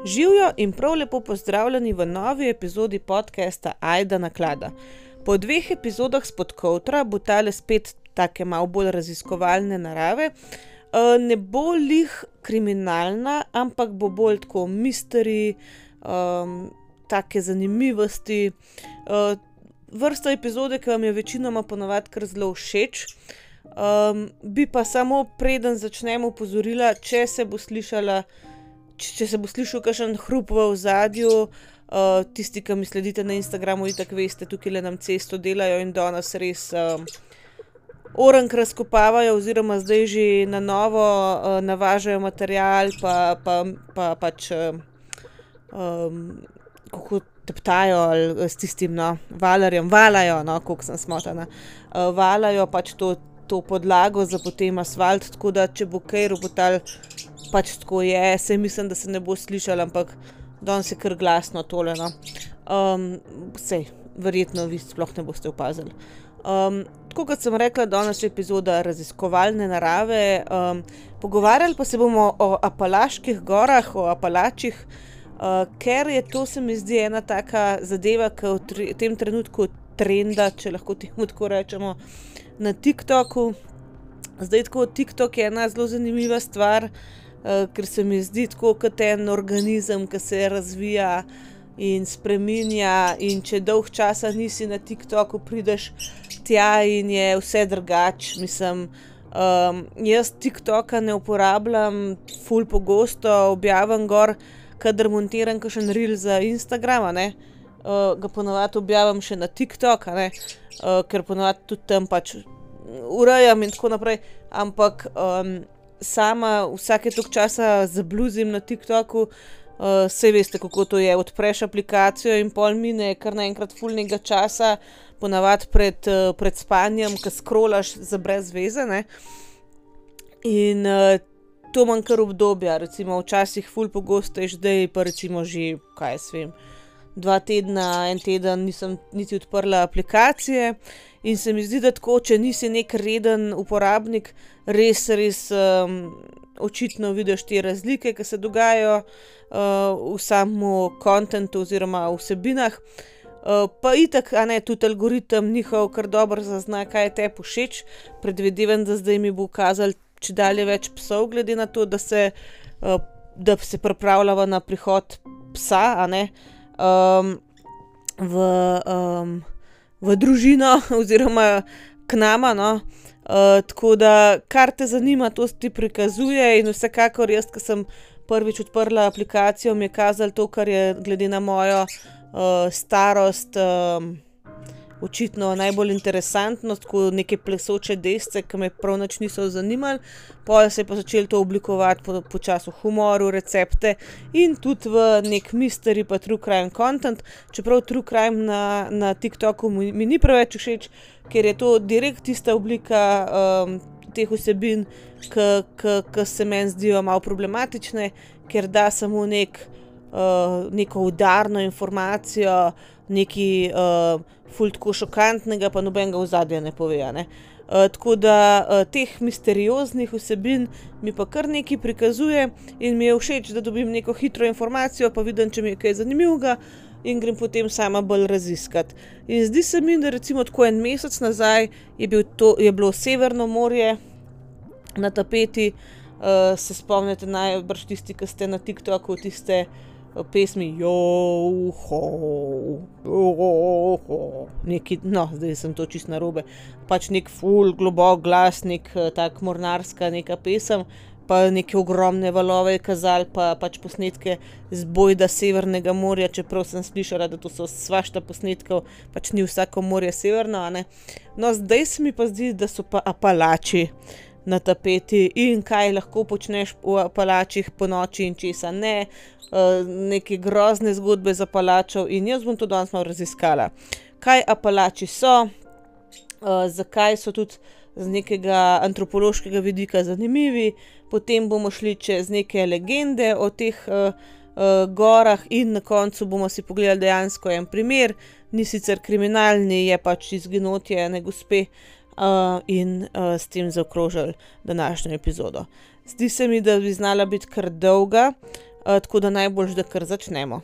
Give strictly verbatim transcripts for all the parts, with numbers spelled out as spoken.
Živijo in prav lepo pozdravljeni v novi epizodi podcasta Ajda naklada. Po dveh epizodah spod kovtra bo tale spet take malo bolj raziskovalne narave. Ne bo lih kriminalna, ampak bo bolj tako mystery, um, take zanimivosti. Uh, vrsta epizode, ki vam je večinoma ponavadi kar zelo všeč. Um, bi pa samo preden začnem opozorila, če se bo slišala Če se bo slišal kakšen hrup v ozadju, uh, tisti, ki mi sledite na Instagramu, itak veste, tukaj le nam cesto delajo in danes res um, orenk razkopavajo oziroma zdaj že na novo uh, navažajo material, pa, pa, pa pač uh, um, kako teptajo ali s tistim no, valarjem, valajo, no, koliko sem smotana, uh, valajo pač to, to podlago za potem asfalt, tako da če bo kaj robotal, pač tako je, saj mislim, da se ne bo slišal, ampak danes je kar glasno tole, no. Um, sej, verjetno vi sploh ne boste opazili. Um, tako kot sem rekla, danes je epizoda raziskovalne narave, um, pogovarjali pa se bomo o Apalaških gorah, o Apalačih, uh, ker je to, se mi zdi, ena taka zadeva, ki v tre, tem trenutku trenda, če lahko temu tako rečemo, na TikToku. Zdaj tako, TikTok je ena zelo zanimiva stvar, Uh, ker se mi zdi tako kot en organizem, ki se razvija in spreminja, in če dolg časa nisi na TikToku, prideš tja in je vse drugače. Mislim, um, jaz TikToka ne uporabljam ful pogosto, objavim gor, kadar montiram kakšen reel za Instagrama, ne, uh, ga ponavadi objavim še na TikTok, ne, uh, ker ponavadi tudi tam pač urejam in tako naprej, ampak um, sama vsake toliko časa zabluzim na TikToku, uh, saj veste, kako to je, odpreš aplikacijo in pol mine kar naenkrat fulnega časa, ponavadi pred, uh, pred spanjem, ko scrollaš za brez veze, ne. In uh, to manj kar obdobja, recimo včasih ful pogosto je zdaj, pa recimo že, kaj jaz vem, dva tedna, en teden nisem niti odprla aplikacije in se mi zdi, da tako, če nisi nek reden uporabnik, res, res um, očitno vidiš te razlike, ki se dogajajo uh, v samu kontentu oziroma v vsebinah. Uh, pa itak, a ne, tudi algoritem njihov kar dobro zazna, kaj je tebi všeč. Predvidevam, da zdaj mi bo kazal čedalje več psov, glede na to, da se, uh, da se pripravljava na prihod psa, a ne, um, v, um, v družino oziroma k nama, no. Uh, tako da, kar te zanima, to ti prikazuje in vsekakor jaz, ko sem prvič odprla aplikacijo, mi je kazalo to, kar je glede na mojo uh, starost um, očitno najbolj interesantno, tako neke plesoče desce, ki me prav nič niso zanimali, pol se je pa začelo to oblikovati po, po času humoru, recepte in tudi v nek mystery pa true crime content, čeprav true crime na, na TikToku mi, mi ni preveč všeč, ker je to direkt tista oblika um, teh vsebin, ki se meni zdijo malo problematične, ker da samo nek, uh, neko udarno informacijo, nekaj uh, ful tako šokantnega, pa nobenega ozadja ne pove, ne. Uh, tako da uh, teh misterioznih vsebin mi pa kar nekaj prikazuje in mi je všeč, da dobim neko hitro informacijo, pa vidim, če mi je kaj zanimivega, in grem potem sama bolj raziskati. In zdi se mi, da recimo tako en mesec nazaj je, bil to, je bilo Severno morje na tapeti, uh, se spomnite najbrž tisti, ki ste na TikToku, tiste uh, pesmi Joho, Joho, neki, no, zdaj sem to čisto narobe, pač nek ful globok glas, nek uh, tak mornarska neka pesem, pa neke ogromne valove je kazali, pa pač posnetke z bojda Severnega morja, čeprav sem slišala, da to so svašta posnetkov, pač ni vsako morje severno, a ne. No, zdaj se mi pa zdi, da so pa Apalači na tapeti in kaj lahko počneš v Apalačih po noči in česa ne, uh, neke grozne zgodbe z Apalačev in jaz bom to danes malo raziskala. Kaj Apalači so, uh, zakaj so tudi z nekega antropološkega vidika zanimivi, potem bomo šli čez neke legende o teh uh, uh, gorah in na koncu bomo si pogledali dejansko en primer, ni sicer kriminalni, je pač izginotje ene gospe uh, in uh, s tem zaokrožili današnjo epizodo. Zdi se mi, da bi znala biti kar dolga, uh, tako da najboljš, da kar začnemo.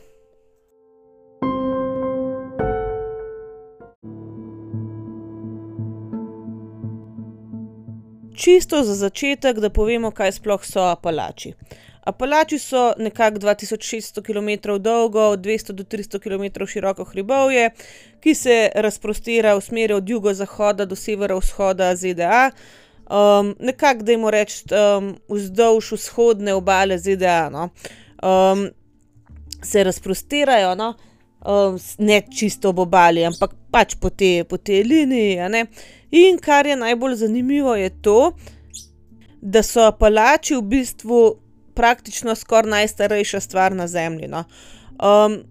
Čisto za začetek, da povemo, kaj sploh so Apalači. Apalači so nekako dva tisoč šeststo kilometrov dolgo, od dvesto do tristo kilometrov široko hribovje, ki se razprostira v smeri od jugozahoda do severovzhoda Z D A. Um, nekako, dajmo reči, um, vzdolž vzhodne obale Z D A, no. Um, se razprostirajo, no. Um, ne čisto ob obali, ampak pač po te, po te liniji, a ne. In kar je najbolj zanimivo, je to, da so Apalači v bistvu praktično skoraj najstarejša stvar na Zemlji, no. Um,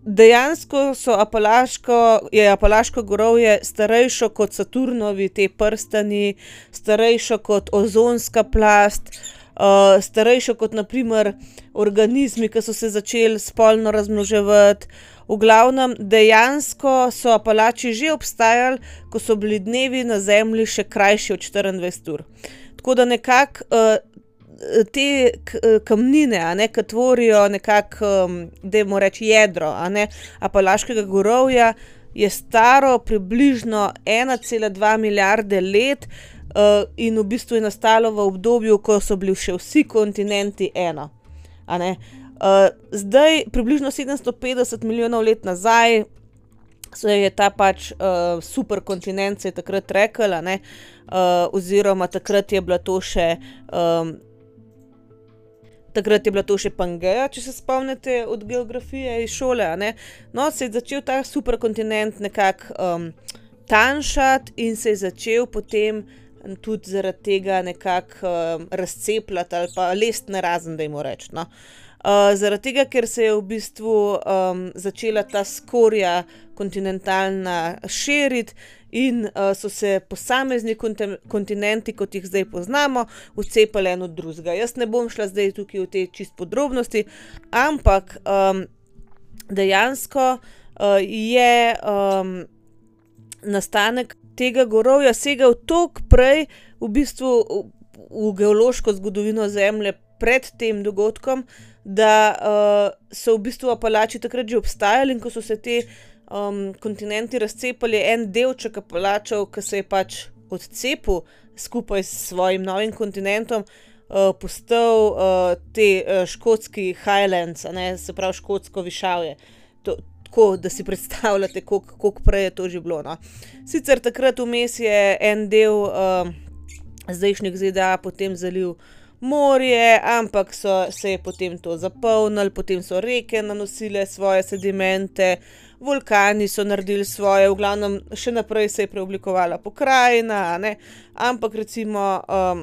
dejansko so Apalaško, je Apalaško gorovje starejšo kot Saturnovi te prstani, starejšo kot ozonska plast, uh, starejšo kot na primer organizmi, ki so se začeli spolno razmnoževati. V glavnem, dejansko so Apalači že obstajali, ko so bili dnevi na Zemlji še krajši od štiriindvajset ur. Tako da nekako uh, te kamnine, a ne, ki tvorijo nekako, um, dajmo reči, jedro, a ne, Apalaškega gorovja, je staro približno ena cela dva milijarde let uh, in v bistvu je nastalo v obdobju, ko so bili še vsi kontinenti eno, a ne. Uh, zdaj, približno sedemsto petdeset milijonov let nazaj, se je ta pač uh, superkontinent se je takrat rekel, a ne, uh, oziroma takrat je bila to še um, takrat je bila to še Pangeja, če se spomnite od geografije iz šole, a ne. No, se je začel ta superkontinent nekako um, tanjšati in se je začel potem tudi zaradi tega nekako um, razcepljati ali pa lesti narazen, dajmo reči, no. Uh, zaradi tega, ker se je v bistvu um, začela ta skorja kontinentalna širiti in uh, so se posamezni kontinenti, kot jih zdaj poznamo, vcepali en od drugega. Jaz ne bom šla zdaj tukaj v te čist podrobnosti, ampak um, dejansko uh, je um, nastanek tega gorovja segal toliko prej v bistvu v, v geološko zgodovino Zemlje pred tem dogodkom, da uh, so v bistvu Apalači takrat že obstajali, in ko so se te um, kontinenti razcepali, en delček Apalačev, ki se je pač odcepil skupaj s svojim novim kontinentom, uh, postal uh, te uh, škotski Highlands, a ne, se pravi škotsko višavje. To, tako, da si predstavljate, koliko, koliko prej je to že bilo, no. Sicer takrat vmes je en del uh, zdajšnjih Z D A potem zalil morje, ampak so, se je potem to zapolnilo, potem so reke nanosile svoje sedimente, vulkani so naredili svoje, v glavnem še naprej se je preoblikovala pokrajina, a ne, ampak recimo um,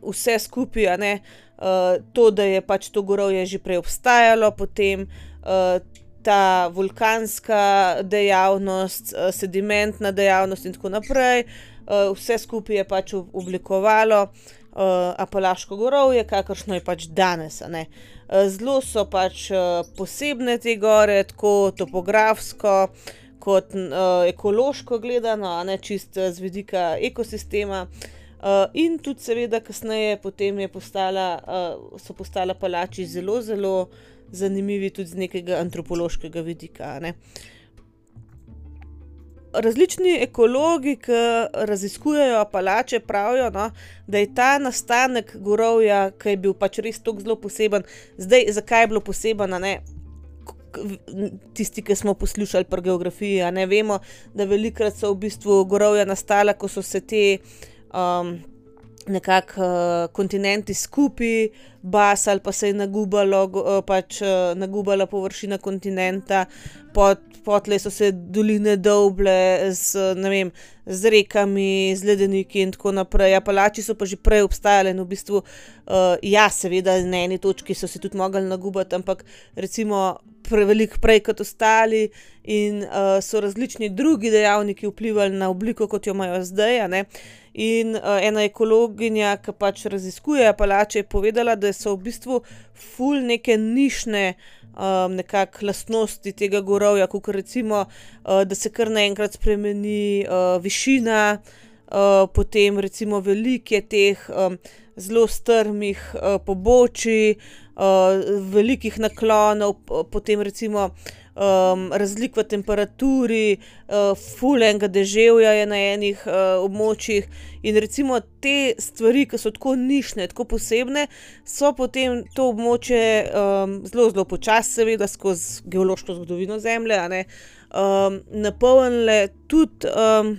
vse skupaj, a ne, uh, to, da je pač to gorovje že prej obstajalo, potem uh, ta vulkanska dejavnost, uh, sedimentna dejavnost in tako naprej, uh, vse skupaj je pač oblikovalo Uh, Apalaško gorovje, kakršno je pač danes, a ne. Uh, zelo so pač uh, posebne te gore, tako topografsko kot uh, ekološko gledano, a ne, čist z vidika ekosistema. Uh, in tudi seveda kasneje potem je postala, uh, so postala Apalači zelo, zelo zanimivi tudi z nekega antropološkega vidika, a ne. Različni ekologi, ki raziskujejo Apalače, pravijo, no, da je ta nastanek gorovja, ki je bil pač res toliko zelo poseben. Zdaj, zakaj je bilo poseben, a ne, tisti, ki smo poslušali pri geografiji, a ne, vemo, da velikokrat so v bistvu gorovja nastala, ko so se te um, nekako uh, kontinenti skupaj basali, pa se je nagubalo, uh, pač uh, nagubala površina kontinenta, pod potlej so se doline dolble z, ne vem, z rekami, z ledeniki in tako naprej. Apalači so pa že prej obstajali in v bistvu, uh, ja, seveda na eni točki so se tudi mogli nagubati, ampak recimo preveliko prej kot ostali in uh, so različni drugi dejavniki vplivali na obliko, kot jo imajo zdaj, a ne. In uh, ena ekologinja, ki pač raziskuje Apalače, je povedala, da so v bistvu ful neke nišne Um, nekako lastnosti tega gorovja, kot recimo, uh, da se kar naenkrat spremeni uh, višina, uh, potem recimo veliko je teh um, zelo strmih uh, pobočij, uh, velikih naklonov, potem recimo um, razlik v temperaturi, uh, ful enega deževja je na enih uh, območjih in recimo te stvari, ki so tako nišne, tako posebne, so potem to območje um, zelo, zelo počasi, seveda skozi geološko zgodovino Zemlje, a ne, um, napolnile tudi um,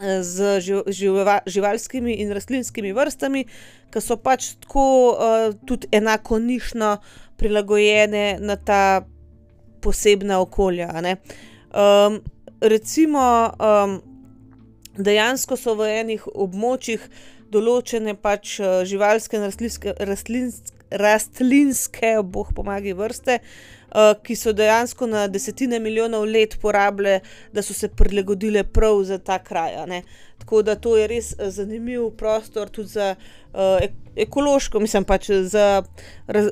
z živa, živalskimi in rastlinskimi vrstami, ki so pač tako uh, tudi enako nišno prilagojene na ta posebna okolja, a ne. Um, recimo um, dejansko so v enih območjih določene pač živalske in rastlinske, rastlinske, rastlinske, boh pomagaj, vrste, uh, ki so dejansko na desetine milijonov let porabile, da so se prilagodile prav za ta kraj, a ne. Tako da to je res zanimiv prostor tudi za uh, ekološko, mislim pač za, raz,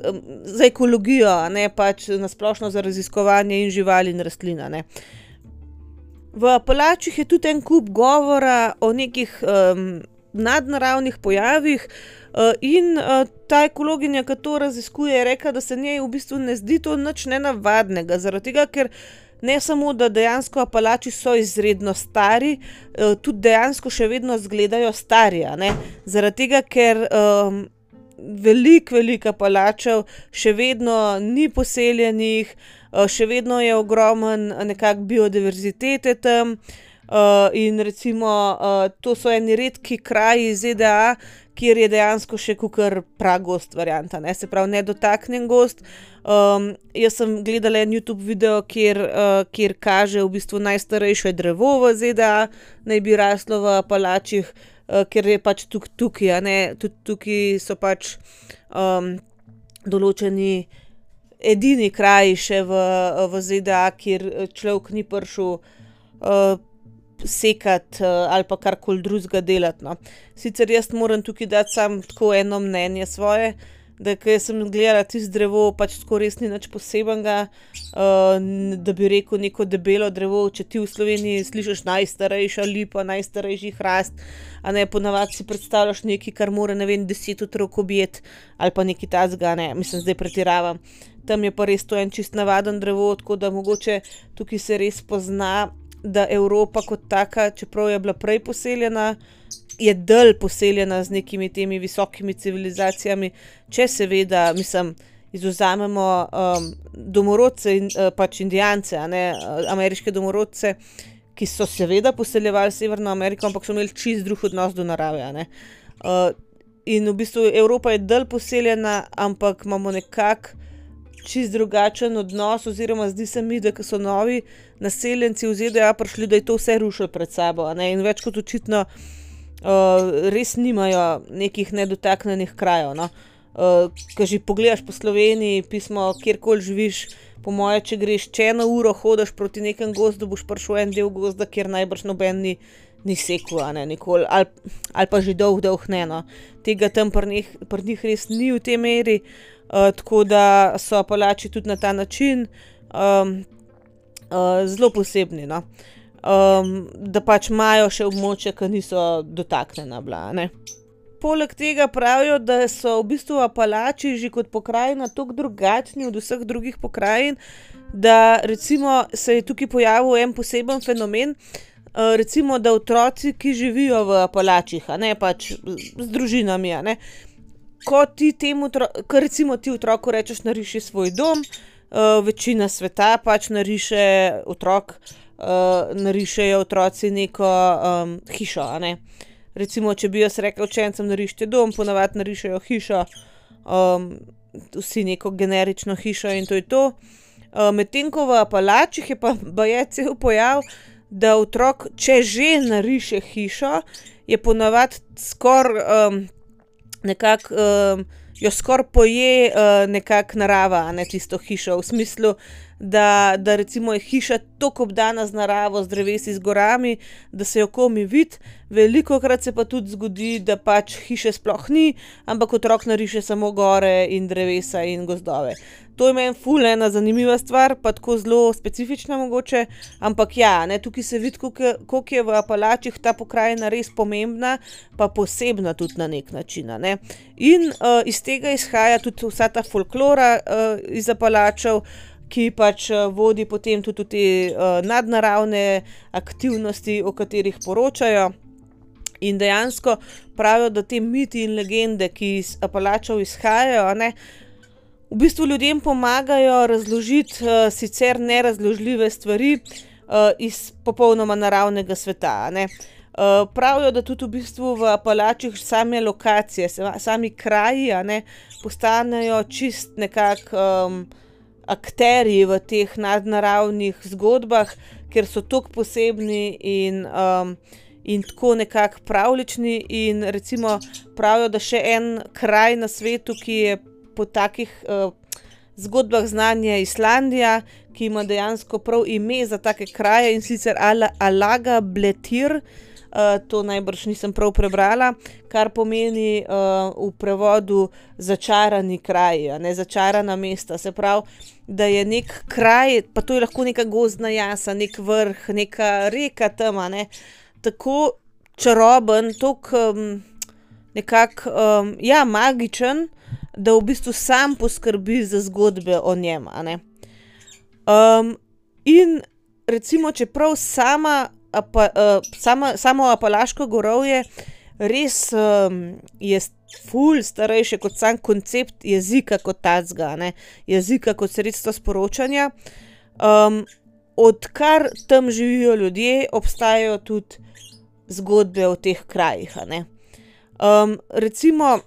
za ekologijo, a ne, pač nasplošno za raziskovanje in živali in rastlin, a ne. V Apalačih je tudi en kup govora o nekih um, nadnaravnih pojavih uh, in uh, ta ekologinja, ki to raziskuje, je rekla, da se njej v bistvu ne zdi to nič nenavadnega, zaradi tega, ker ne samo, da dejansko Apalači so izredno stari, uh, tudi dejansko še vedno izgledajo stari, a ne, zaradi tega, ker um, veliko, veliko Apalačev še vedno ni poseljenih, uh, še vedno je ogromen nekak biodiverzitete tam, uh, in recimo uh, to so eni redki kraji Z D A, kjer je dejansko še kakor pragost varianta, ne, se pravi nedotaknjen gost. Um, jaz sem gledala en YouTube video, kjer, uh, kjer kaže v bistvu najstarejše drevo v Z D A, naj bi raslo v Apalačih, uh, ker je pač tukaj, tukaj, a ne, tudi tukaj so pač um, določeni edini kraji še v, v Z D A, kjer človek ni prišel uh, sekati uh, ali pa karkoli drugega delati, no. Sicer jaz moram tukaj dati samo tako eno mnenje svoje, da ko sem gledala tisto drevo, pač tako res ni nič posebenega, uh, da bi rekel neko debelo drevo, če ti v Sloveniji slišiš najstarejša lipa, najstarejši hrast, a ne, ponavadi si predstavljaš nekaj, kar mora, ne vem, deset otrok objeti, ali pa nekaj takega, ne, mislim, zdaj pretiravam. Tam je pa res to en čist navaden drevo, tako da mogoče tukaj se res pozna, da Evropa kot taka, čeprav je bila prej poseljena, je dalj poseljena z nekimi temi visokimi civilizacijami, če seveda, mislim, izvzamemo um, domorodce in uh, pač indijance, a ne, ameriške domorodce, ki so seveda poseljevali Severno Ameriko, ampak so imeli čist drug odnos do narave, a ne. Uh, in v bistvu Evropa je dalj poseljena, ampak imamo nekako čist drugačen odnos, oziroma zdi se mi, da ko so novi naseljenci v Z D A prišli, da je to vse rušilo pred sabo, a ne, in več kot očitno uh, res nimajo nekih nedotaknjenih krajev, no. Uh, ko že pogledaš po Sloveniji, pismo, kjerkoli živiš, po moje, če greš če eno uro hodiš proti nekem gozdu, boš prišel en del gozda, kjer najbrž noben ni, ni sekel, a ne, nikoli, ali, ali pa že dolg, dolg ne, no. Tega tam pri njih, pri njih res ni v tej meri, uh, tako da so Apalači tudi na ta način um, uh, zelo posebni, no. Um, da pač imajo še območja, ki niso dotaknjena bila, ne. Poleg tega pravijo, da so v bistvu Apalači že kot pokrajina toliko drugačni od vseh drugih pokrajin, da recimo se je tukaj pojavil en poseben fenomen, uh, recimo, da otroci, ki živijo v Apalačih, a ne, pač z družinami, a ne, ko ti temu, ko recimo ti otroku rečeš, nariši svoj dom, uh, večina sveta pač nariše otrok, uh, narišejo otroci neko um, hišo, a ne. Recimo, če bi jaz rekel učencem, narišite dom, ponavadi narišejo hišo, um, vsi neko generično hišo in to je to. Uh, medtem ko v Apalačih je pa baje cel pojav, da otrok, če že nariše hišo, je ponavadi skoraj um, nekako, um, jo skoraj poje uh, nekako narava, a ne tisto hišo, v smislu, da, da recimo je hiša toliko obdana z naravo, z drevesi, z gorami, da se jo komi vidi. Velikokrat se pa tudi zgodi, da pač hiše sploh ni, ampak otrok nariše samo gore in drevesa in gozdove. To je meni ful ena zanimiva stvar, pa tako zelo specifična mogoče, ampak ja, ne, tukaj se vidi, koliko je v Apalačih ta pokrajina res pomembna, pa posebna tudi na nek način, ne. In uh, iz tega izhaja tudi vsa ta folklora uh, iz Apalačev, ki pač uh, vodi potem tudi v te uh, nadnaravne aktivnosti, o katerih poročajo. In dejansko pravijo, da te miti in legende, ki iz Apalačev izhajajo, ne, v bistvu ljudem pomagajo razložiti uh, sicer nerazložljive stvari uh, iz popolnoma naravnega sveta, ne. Uh, pravijo, da tudi v bistvu v Apalačih same lokacije, sami kraji, a ne, postanejo čist nekako um, akterji v teh nadnaravnih zgodbah, ker so toliko posebni in, um, in tako nekako pravlični. In recimo pravijo, da še en kraj na svetu, ki je po takih uh, zgodbah znan, je Islandija, ki ima dejansko prav ime za take kraje, in sicer Alagabletir. Uh, to najbrž nisem prav prebrala, kar pomeni uh, v prevodu začarani kraj, ne, začarana mesta. Se pravi, da je nek kraj, pa to je lahko neka gozdna jasa, nek vrh, neka reka tam, ne, tako čaroben, tako um, nekako um, ja, magičen, da v bistvu sam poskrbi za zgodbe o njem, a ne. Um, in recimo, čeprav sama Apa, uh, sama, samo Apalaško gorovje res um, je ful starejše kot sam koncept jezika kot tacga, ne, jezika kot sredstvo sporočanja. Um, odkar tam živijo ljudje, obstajajo tudi zgodbe o teh krajih, a ne. Um, recimo,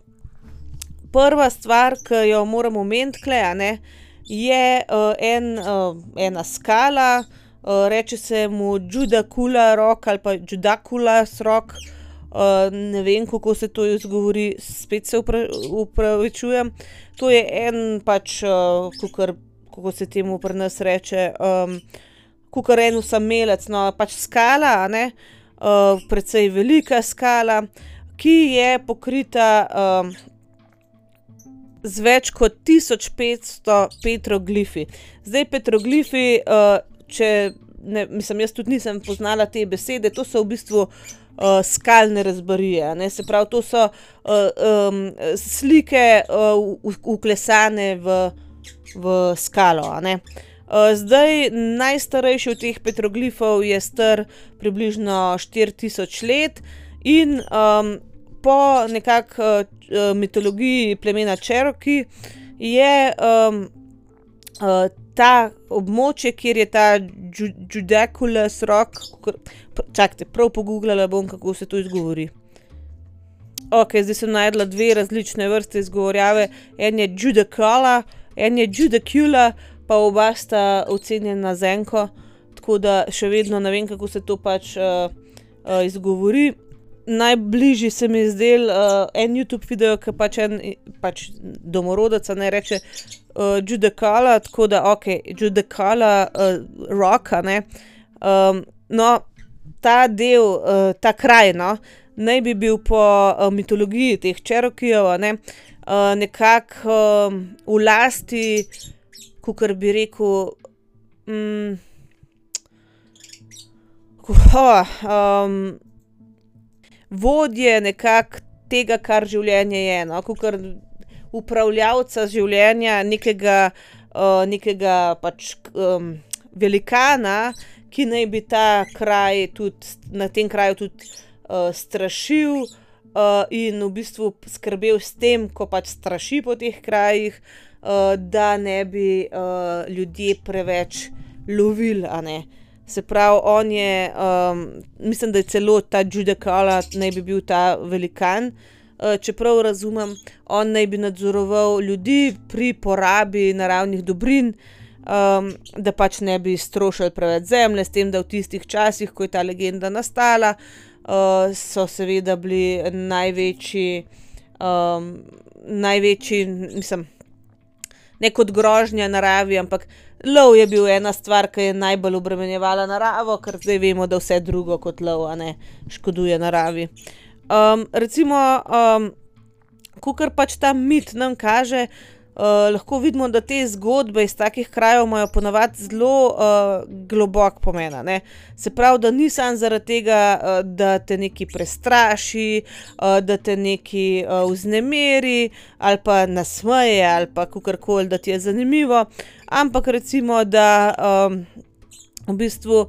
prva stvar, ki jo moram omeniti tule, a ne, je uh, en, uh, ena skala. Uh, reče se mu Judakula Rock ali pa Judaculas Rock, uh, ne vem, kako se to izgovori, spet se upravičujem. To je en pač, uh, kukor, kako se temu pri nas reče, um, kukor en osamelec, no, pač skala, a ne, uh, precej velika skala, ki je pokrita um, z več kot tisoč petsto petroglifi. Zdaj petroglifi, uh, če, ne, mislim, jaz tudi nisem poznala te besede, to so v bistvu uh, skalne razbarije, ne, se pravi, to so uh, um, slike uh, vklesane v, v skalo, a ne. Uh, zdaj, najstarejši od teh petroglifov je star približno štiri tisoč let in um, po nekako uh, mitologiji plemena Cherokee je um, uh, ta območje, kjer je ta Judaculas Rock, čakajte, prav pogooglala bom, kako se to izgovori. Ok, zdaj sem najdla dve različne vrste izgovorjave, en je Judacula, en je Judacula, pa oba sta ocenjena z enko, tako da še vedno ne vem, kako se to pač uh, uh, izgovori. Najbližji se mi je zdel uh, en YouTube video, ki pač en pač domorodec, ne, reče uh, Judacula, tako da ok, Judacula uh, Rock, ne. Um, no, ta del, uh, ta kraj, no, naj bi bil po uh, mitologiji teh Cherokeejev, ne, uh, nekako um, v lasti, kakor bi rekel, um, oh, um, vodje nekako tega, kar življenje je, no, kakor upravljavca življenja, nekega, uh, nekega pač um, velikana, ki naj bi ta kraj tudi, na tem kraju tudi uh, strašil uh, in v bistvu skrbel s tem, ko pač straši po teh krajih, uh, da ne bi uh, ljudje preveč lovili, a ne. Se pravi, on je, um, mislim, da je celo ta Judacula naj bi bil ta velikan, uh, čeprav razumem, on naj bi nadzoroval ljudi pri porabi naravnih dobrin, um, da pač ne bi strošili preveč zemlje, s tem, da v tistih časih, ko je ta legenda nastala, uh, so seveda bili največji, um, največji, mislim, ne kot grožnja naravi, ampak lov je bil ena stvar, ki je najbolj obremenjevala naravo, ker zdaj vemo, da vse drugo kot lov, a ne, škoduje naravi. Um, recimo, um, kakor pač ta mit nam kaže, uh, lahko vidimo, da te zgodbe iz takih krajev imajo ponavadi zelo uh, globok pomen, ne. Se pravi, da ni samo zaradi tega, uh, da te nekaj prestraši, uh, da te nekaj uh, vznemiri ali pa nasmeje ali pa kakorkoli, da ti je zanimivo, ampak recimo, da um, v bistvu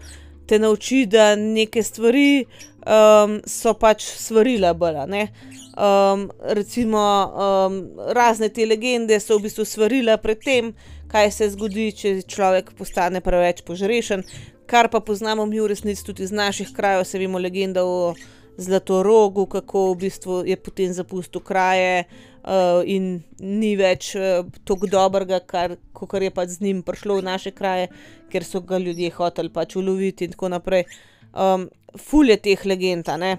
te nauči, da neke stvari um, so pač svarila bolj, a ne. Um, recimo um, razne te legende so v bistvu svarila pred tem, kaj se zgodi, če človek postane preveč požrešen, kar pa poznamo mi v resnici tudi iz naših krajev, se vemo legenda o Zlatorogu, kako v bistvu je potem zapustil kraje uh, in ni več uh, toliko dobrega, kar, kakor je pač z njim prišlo v naše kraje, ker so ga ljudje hoteli pač uloviti in tako naprej. Um, ful je teh legend, a ne.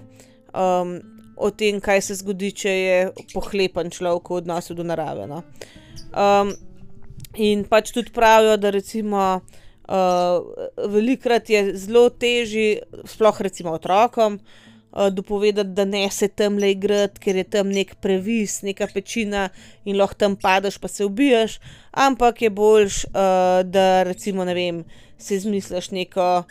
Um, o tem, kaj se zgodi, če je pohlepen človek v odnosu do narave, no. Um, in pač tudi pravijo, da recimo uh, velikokrat je zelo težji, sploh recimo otrokom, uh, dopovedati, da ne se tamle igrati, ker je tam nek previs, neka pečina in lahko tam padeš pa se ubiješ, ampak je boljš, uh, da recimo, ne vem, si izmisliš neko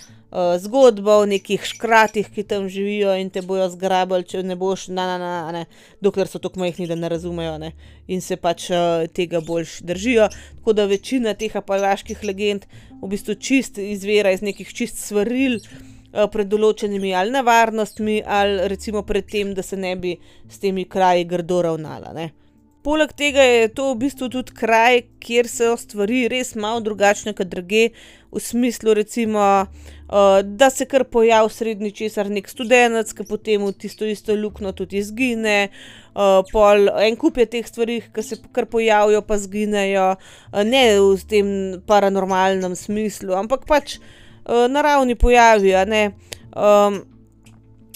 zgodbo o nekih škratih, ki tam živijo in te bojo zgrabili, če ne boš na, na, na, ne, dokler so tako majhni, da ne razumejo, ne, in se pač uh, tega boljš držijo. Tako da večina teh apalaških legend v bistvu čist izvira iz nekih čist svaril uh, pred določenimi ali nevarnostmi ali recimo pred tem, da se ne bi s temi kraji grdo ravnala, ne. Poleg tega je to v bistvu tudi kraj, kjer so stvari res malo drugačne kot drugje, v smislu recimo, uh, da se kar pojavi sredi ničesar nek studenec, ki potem v tisto isto luknjo tudi izgine, uh, pol en kup je teh stvari, ki se kar pojavijo pa izginejo, uh, ne v tem paranormalnem smislu, ampak pač uh, naravni pojavi, a ne. Um,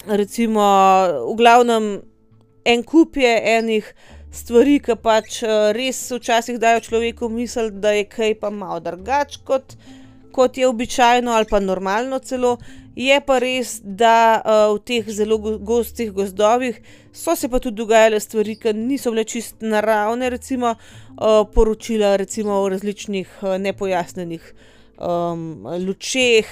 recimo, v glavnem, en kup je enih stvari, ki pač res včasih dajo človeku misel, da je kaj pa malo drugače kot, kot je običajno ali pa normalno celo. Je pa res, da uh, v teh zelo gostih gozdovih so se pa tudi dogajale stvari, ki niso bile čist naravne, recimo uh, poročila recimo o različnih uh, nepojasnenih um, lučeh,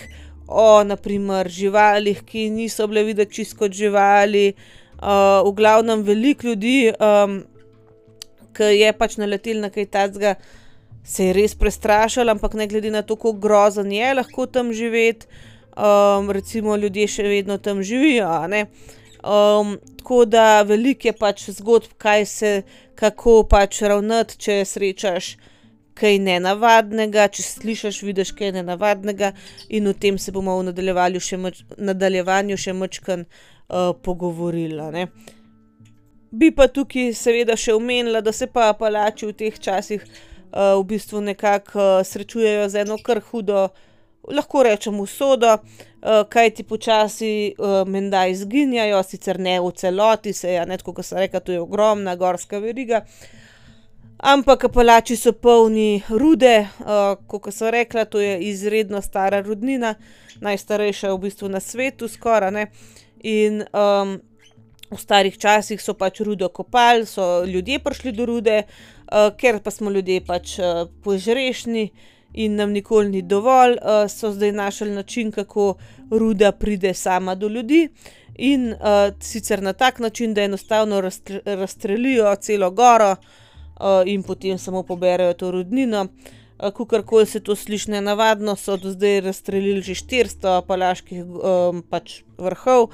o naprimer živalih, ki niso bile videti čist kot živali. Uh, v glavnem veliko ljudi, um, ki je pač naletel na kaj takega, se je res prestrašil, ampak ne glede na to, kako grozen je lahko tam živeti, um, recimo ljudje še vedno tam živijo, a ne. Um, tako da veliko je pač zgodb, kaj se, kako pač ravnati, če srečaš kaj nenavadnega, če slišiš, vidiš kaj nenavadnega, in o tem se bomo v nadaljevanju še mač, nadaljevanju še majčkeno uh, pogovorili, a ne. Bi pa tukaj seveda še omenila, da se pa Apalači v teh časih uh, v bistvu nekako uh, srečujejo z eno kar hudo, lahko rečem usodo, uh, kajti počasi uh, menda izginjajo, sicer ne v celoti, se je, ne, tako kot sem rekla, to je ogromna gorska veriga, ampak Apalači so polni rude, uh, kot sem rekla, to je izredno stara rudnina, najstarejša v bistvu na svetu skoraj, ne, in um, v starih časih so pač rudo kopali, so ljudje prišli do rude, uh, ker pa smo ljudje pač uh, požrešni in nam nikoli ni dovolj, uh, so zdaj našli način, kako ruda pride sama do ljudi in uh, sicer na tak način, da enostavno rastre, razstrelijo celo goro uh, in potem samo poberejo to rudnino. Uh, kakorkoli se to sliši nenavadno, so do zdaj razstrelili že štiristo apalaških um, pač vrhov.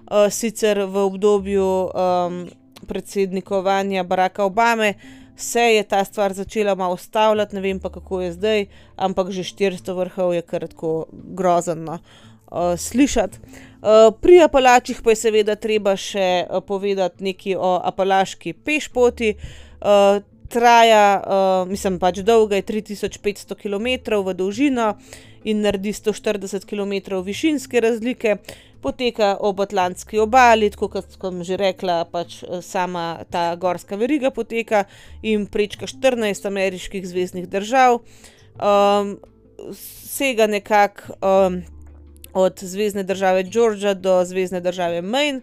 Uh, sicer v obdobju um, predsednikovanja Baracka Obame se je ta stvar začela malo ustavljati, ne vem pa kako je zdaj, ampak že štiristo vrhov je kar tako grozno uh, slišati. Uh, pri Apalačih pa je seveda treba še uh, povedati nekaj o apalaški pešpoti. Uh, traja, uh, mislim pač dolga je tri tisoč petsto kilometrov v dolžino in naredi sto štirideset kilometrov višinske razlike. Poteka ob Atlantski obali, tako kot sem že rekla, pač sama ta gorska veriga poteka in prečka štirinajst ameriških zveznih držav. Um, sega nekako um, od zvezne države Georgia do zvezne države Maine.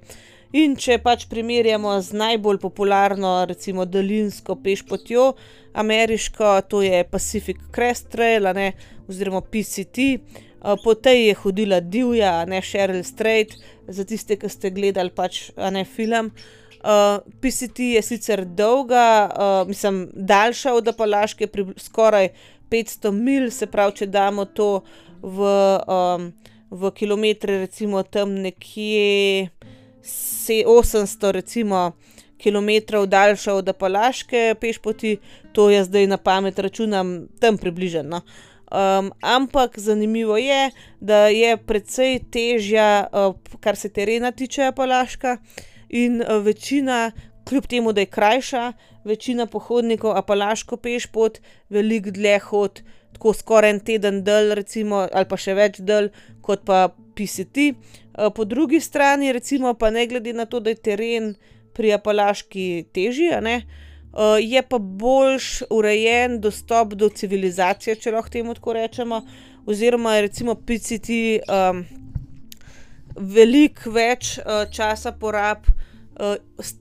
In če pač primerjamo z najbolj popularno, recimo daljinsko pešpotjo ameriško, to je Pacific Crest Trail, a ne, oziroma P C T. Po tej je hodila divja, a ne, Cheryl Strayed, za tiste, ki ste gledali pač, a ne, film. Uh, P C T je sicer dolga, uh, mislim, daljša od Apalaške, skoraj petsto milj, se pravi, če damo to v, um, v kilometre, recimo tam nekje osemsto recimo kilometrov daljša od Apalaške pešpoti, to jaz zdaj na pamet računam tam približno. Um, ampak zanimivo je, da je precej težja, uh, kar se terena tiče, Apalaška, in uh, večina, kljub temu, da je krajša, večina pohodnikov Apalaško pešpot veliko dlje hod, tako skoraj en teden dlje recimo, ali pa še več dlje, kot pa P C T. Uh, po drugi strani recimo pa ne glede na to, da je teren pri Apalaški težji, a ne, Uh, je pa boljš urejen dostop do civilizacije, če lahko temu tako rečemo, oziroma je recimo P C T um, veliko več uh, časa porab uh,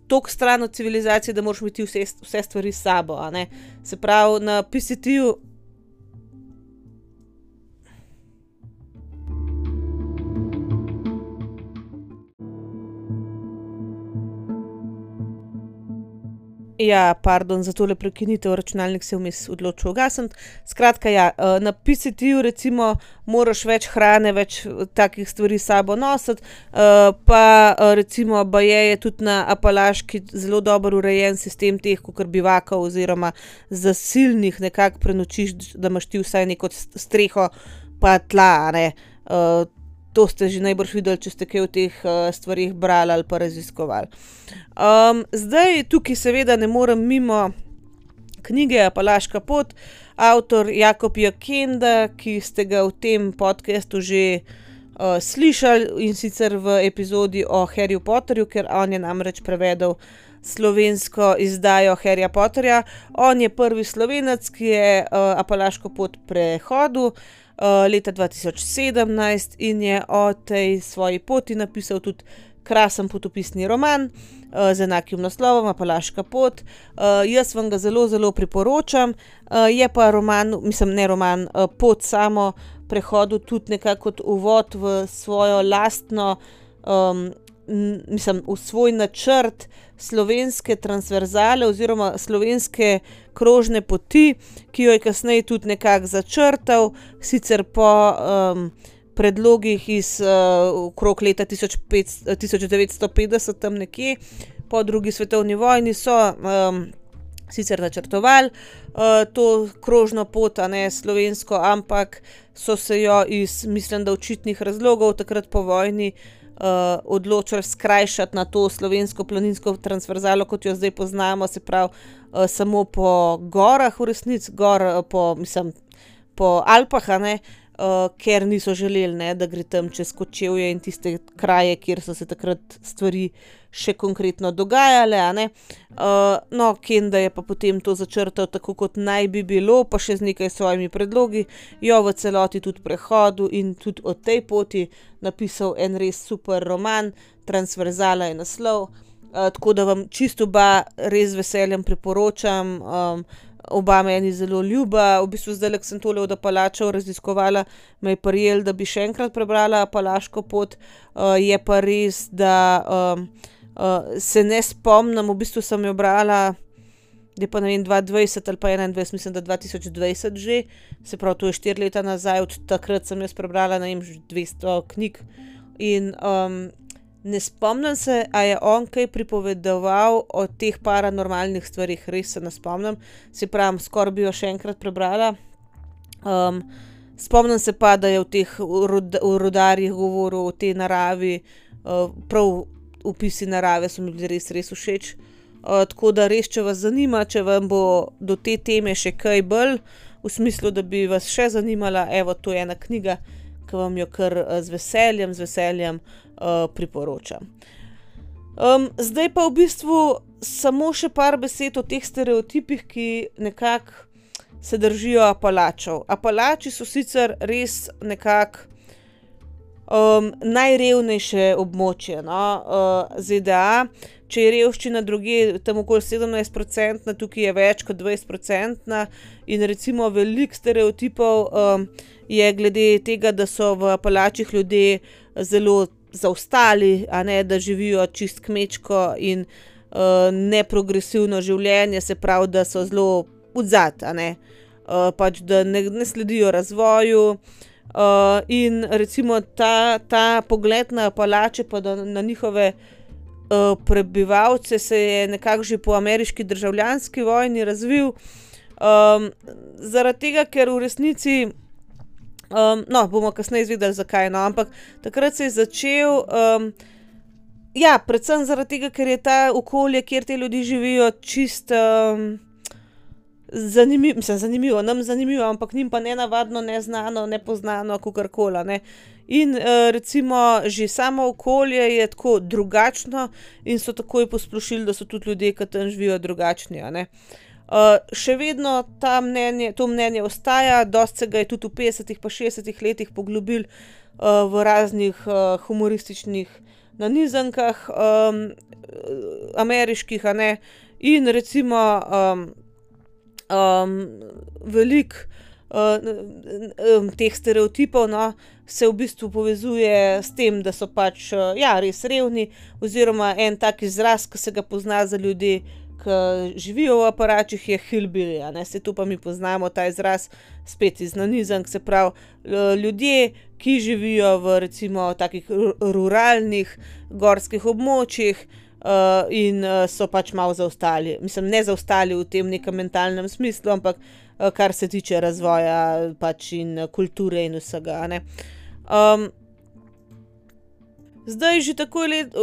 toliko stran od civilizacije, da moraš imeti vse, vse stvari s sabo, a ne. Se pravi, na P C T-ju Ja, pardon, za tole prekinitev, računalnik se je vmes odločil ugasniti. Skratka, ja, na P C T-ju recimo moraš več hrane, več takih stvari s sabo nositi, pa recimo baje je tudi na Apalaški zelo dobro urejen sistem teh kakor bivakov oziroma zasilnih nekako prenočiš, da imaš ti vsaj neko streho pa tla, a ne. To ste že najbrž videli, če ste kaj o teh uh, stvarih brali ali pa raziskovali. Um, zdaj tukaj seveda ne morem mimo knjige Apalaška pot, avtor Jakob J. Kenda, ki ste ga v tem podcastu že uh, slišali, in sicer v epizodi o Harryju Potterju, ker on je namreč prevedel slovensko izdajo Harryja Potterja. On je prvi Slovenec, ki je uh, Apalaško pot prehodil Uh, leta dva tisoč sedemnajst in je o tej svoji poti napisal tudi krasen potopisni roman uh, z enakim naslovom Apalaška pot. Uh, jaz vam ga zelo, zelo priporočam. Uh, je pa roman, mislim ne roman, uh, pot samo prehodu tudi nekako kot uvod v svojo lastno, um, mislim, v svoj načrt slovenske transverzale oziroma slovenske krožne poti, ki jo je kasneje tudi nekako začrtal, sicer po um, predlogih iz uh, okrog leta tisoč devetsto petdeset, tam nekje, po drugi svetovni vojni so um, sicer načrtovali uh, to krožno pot, a ne slovensko, ampak so se jo iz, mislim, da očitnih razlogov takrat po vojni Uh, odločili skrajšati na to slovensko planinsko transverzalo, kot jo zdaj poznamo, se pravi uh, samo po gorah v resnici, gor uh, po, mislim, po Alpah, a ne, uh, ker niso želeli, ne, da gre tam čez Kočevje in tiste kraje, kjer so se takrat stvari še konkretno dogajale, a ne. Uh, no, Kenda je pa potem to začrtal tako, kot naj bi bilo, pa še z nekaj svojimi predlogi, jo v celoti tudi prehodu in tudi o tej poti napisal en res super roman, Transverzala je naslov, uh, tako da vam čisto oba res z veseljem priporočam. Um, oba meni zelo ljuba, v bistvu zdaj, ko sem tole od Apalačev raziskovala, me je prijel, da bi še enkrat prebrala Apalaško pot, uh, je pa res, da um, uh, se ne spomnim, v bistvu sem jo brala, da je pa ne vem, dva tisoč dvajset ali pa enaindvajset, mislim, da dva tisoč dvajset že, se pravi, to je štiri leta nazaj, od takrat sem jaz prebrala, ne vem, dvesto knjig in um, ne spomnim se, a je on kaj pripovedoval o teh paranormalnih stvarih, res se ne spomnim, se pravi, skoraj bi jo še enkrat prebrala. Um, spomnim se pa, da je v teh rod, v rodarjih govoril o tej naravi, uh, prav opisi narave so mi bili res, res všeč. Uh, tako da res, če vas zanima, če vam bo do te teme še kaj bolj, v smislu, da bi vas še zanimala, evo, to je ena knjiga, ki vam jo kar uh, z veseljem, z veseljem uh, priporočam. Um, zdaj pa v bistvu samo še par besed o teh stereotipih, ki nekako se držijo Apalačev. Apalači so sicer res nekako um, najrevnejše območje, no, uh, Z D A. Če je revščina drugje tam okoli sedemnajst procentna, tukaj je več kot dvajset procentna in recimo veliko stereotipov um, je glede tega, da so v Apalačih ljudje zelo zaostali, a ne, da živijo čist kmečko in uh, neprogresivno življenje, se pravi, da so zelo odzad, a ne, uh, pač da ne, ne sledijo razvoju. Uh, in recimo ta, ta pogled na Apalače pa da, na njihove Uh, prebivalce se je nekako že po ameriški državljanski vojni razvil, um, zaradi tega, ker v resnici, um, no, bomo kasneje izvedeli, zakaj, no, ampak takrat se je začel, um, ja, predvsem zaradi tega, ker je ta okolje, kjer te ljudi živijo, čist um, zanimivo, mislim, zanimivo, nam zanimivo, ampak njim pa nenavadno, neznano, nepoznano, kakorkoli, ne. In uh, recimo že samo okolje je tako drugačno in so takoj posplošili, da so tudi ljudje, ki tam živijo, drugačni, a ne. Uh, še vedno ta mnenje, to mnenje ostaja, dosti se ga je tudi v petdesetih pa šestdesetih letih poglobil uh, v raznih uh, humorističnih nanizankah um, ameriških, a ne, in recimo um, um, veliko uh, um, teh stereotipov, no, se v bistvu povezuje s tem, da so pač, uh, ja, res revni, oziroma en tak izraz, ki se ga pozna za ljudi, ki živijo v Apalačih, je hillbilly, a ne, se tu pa mi poznamo ta izraz spet iz nanizank, se pravi, ljudje, ki živijo v recimo takih ruralnih gorskih območjih uh, in uh, so pač malo zaostali, mislim, ne zaostali v tem nekem mentalnem smislu, ampak uh, kar se tiče razvoja pač in kulture in vsega, a ne. Um, Zdaj že takoj let,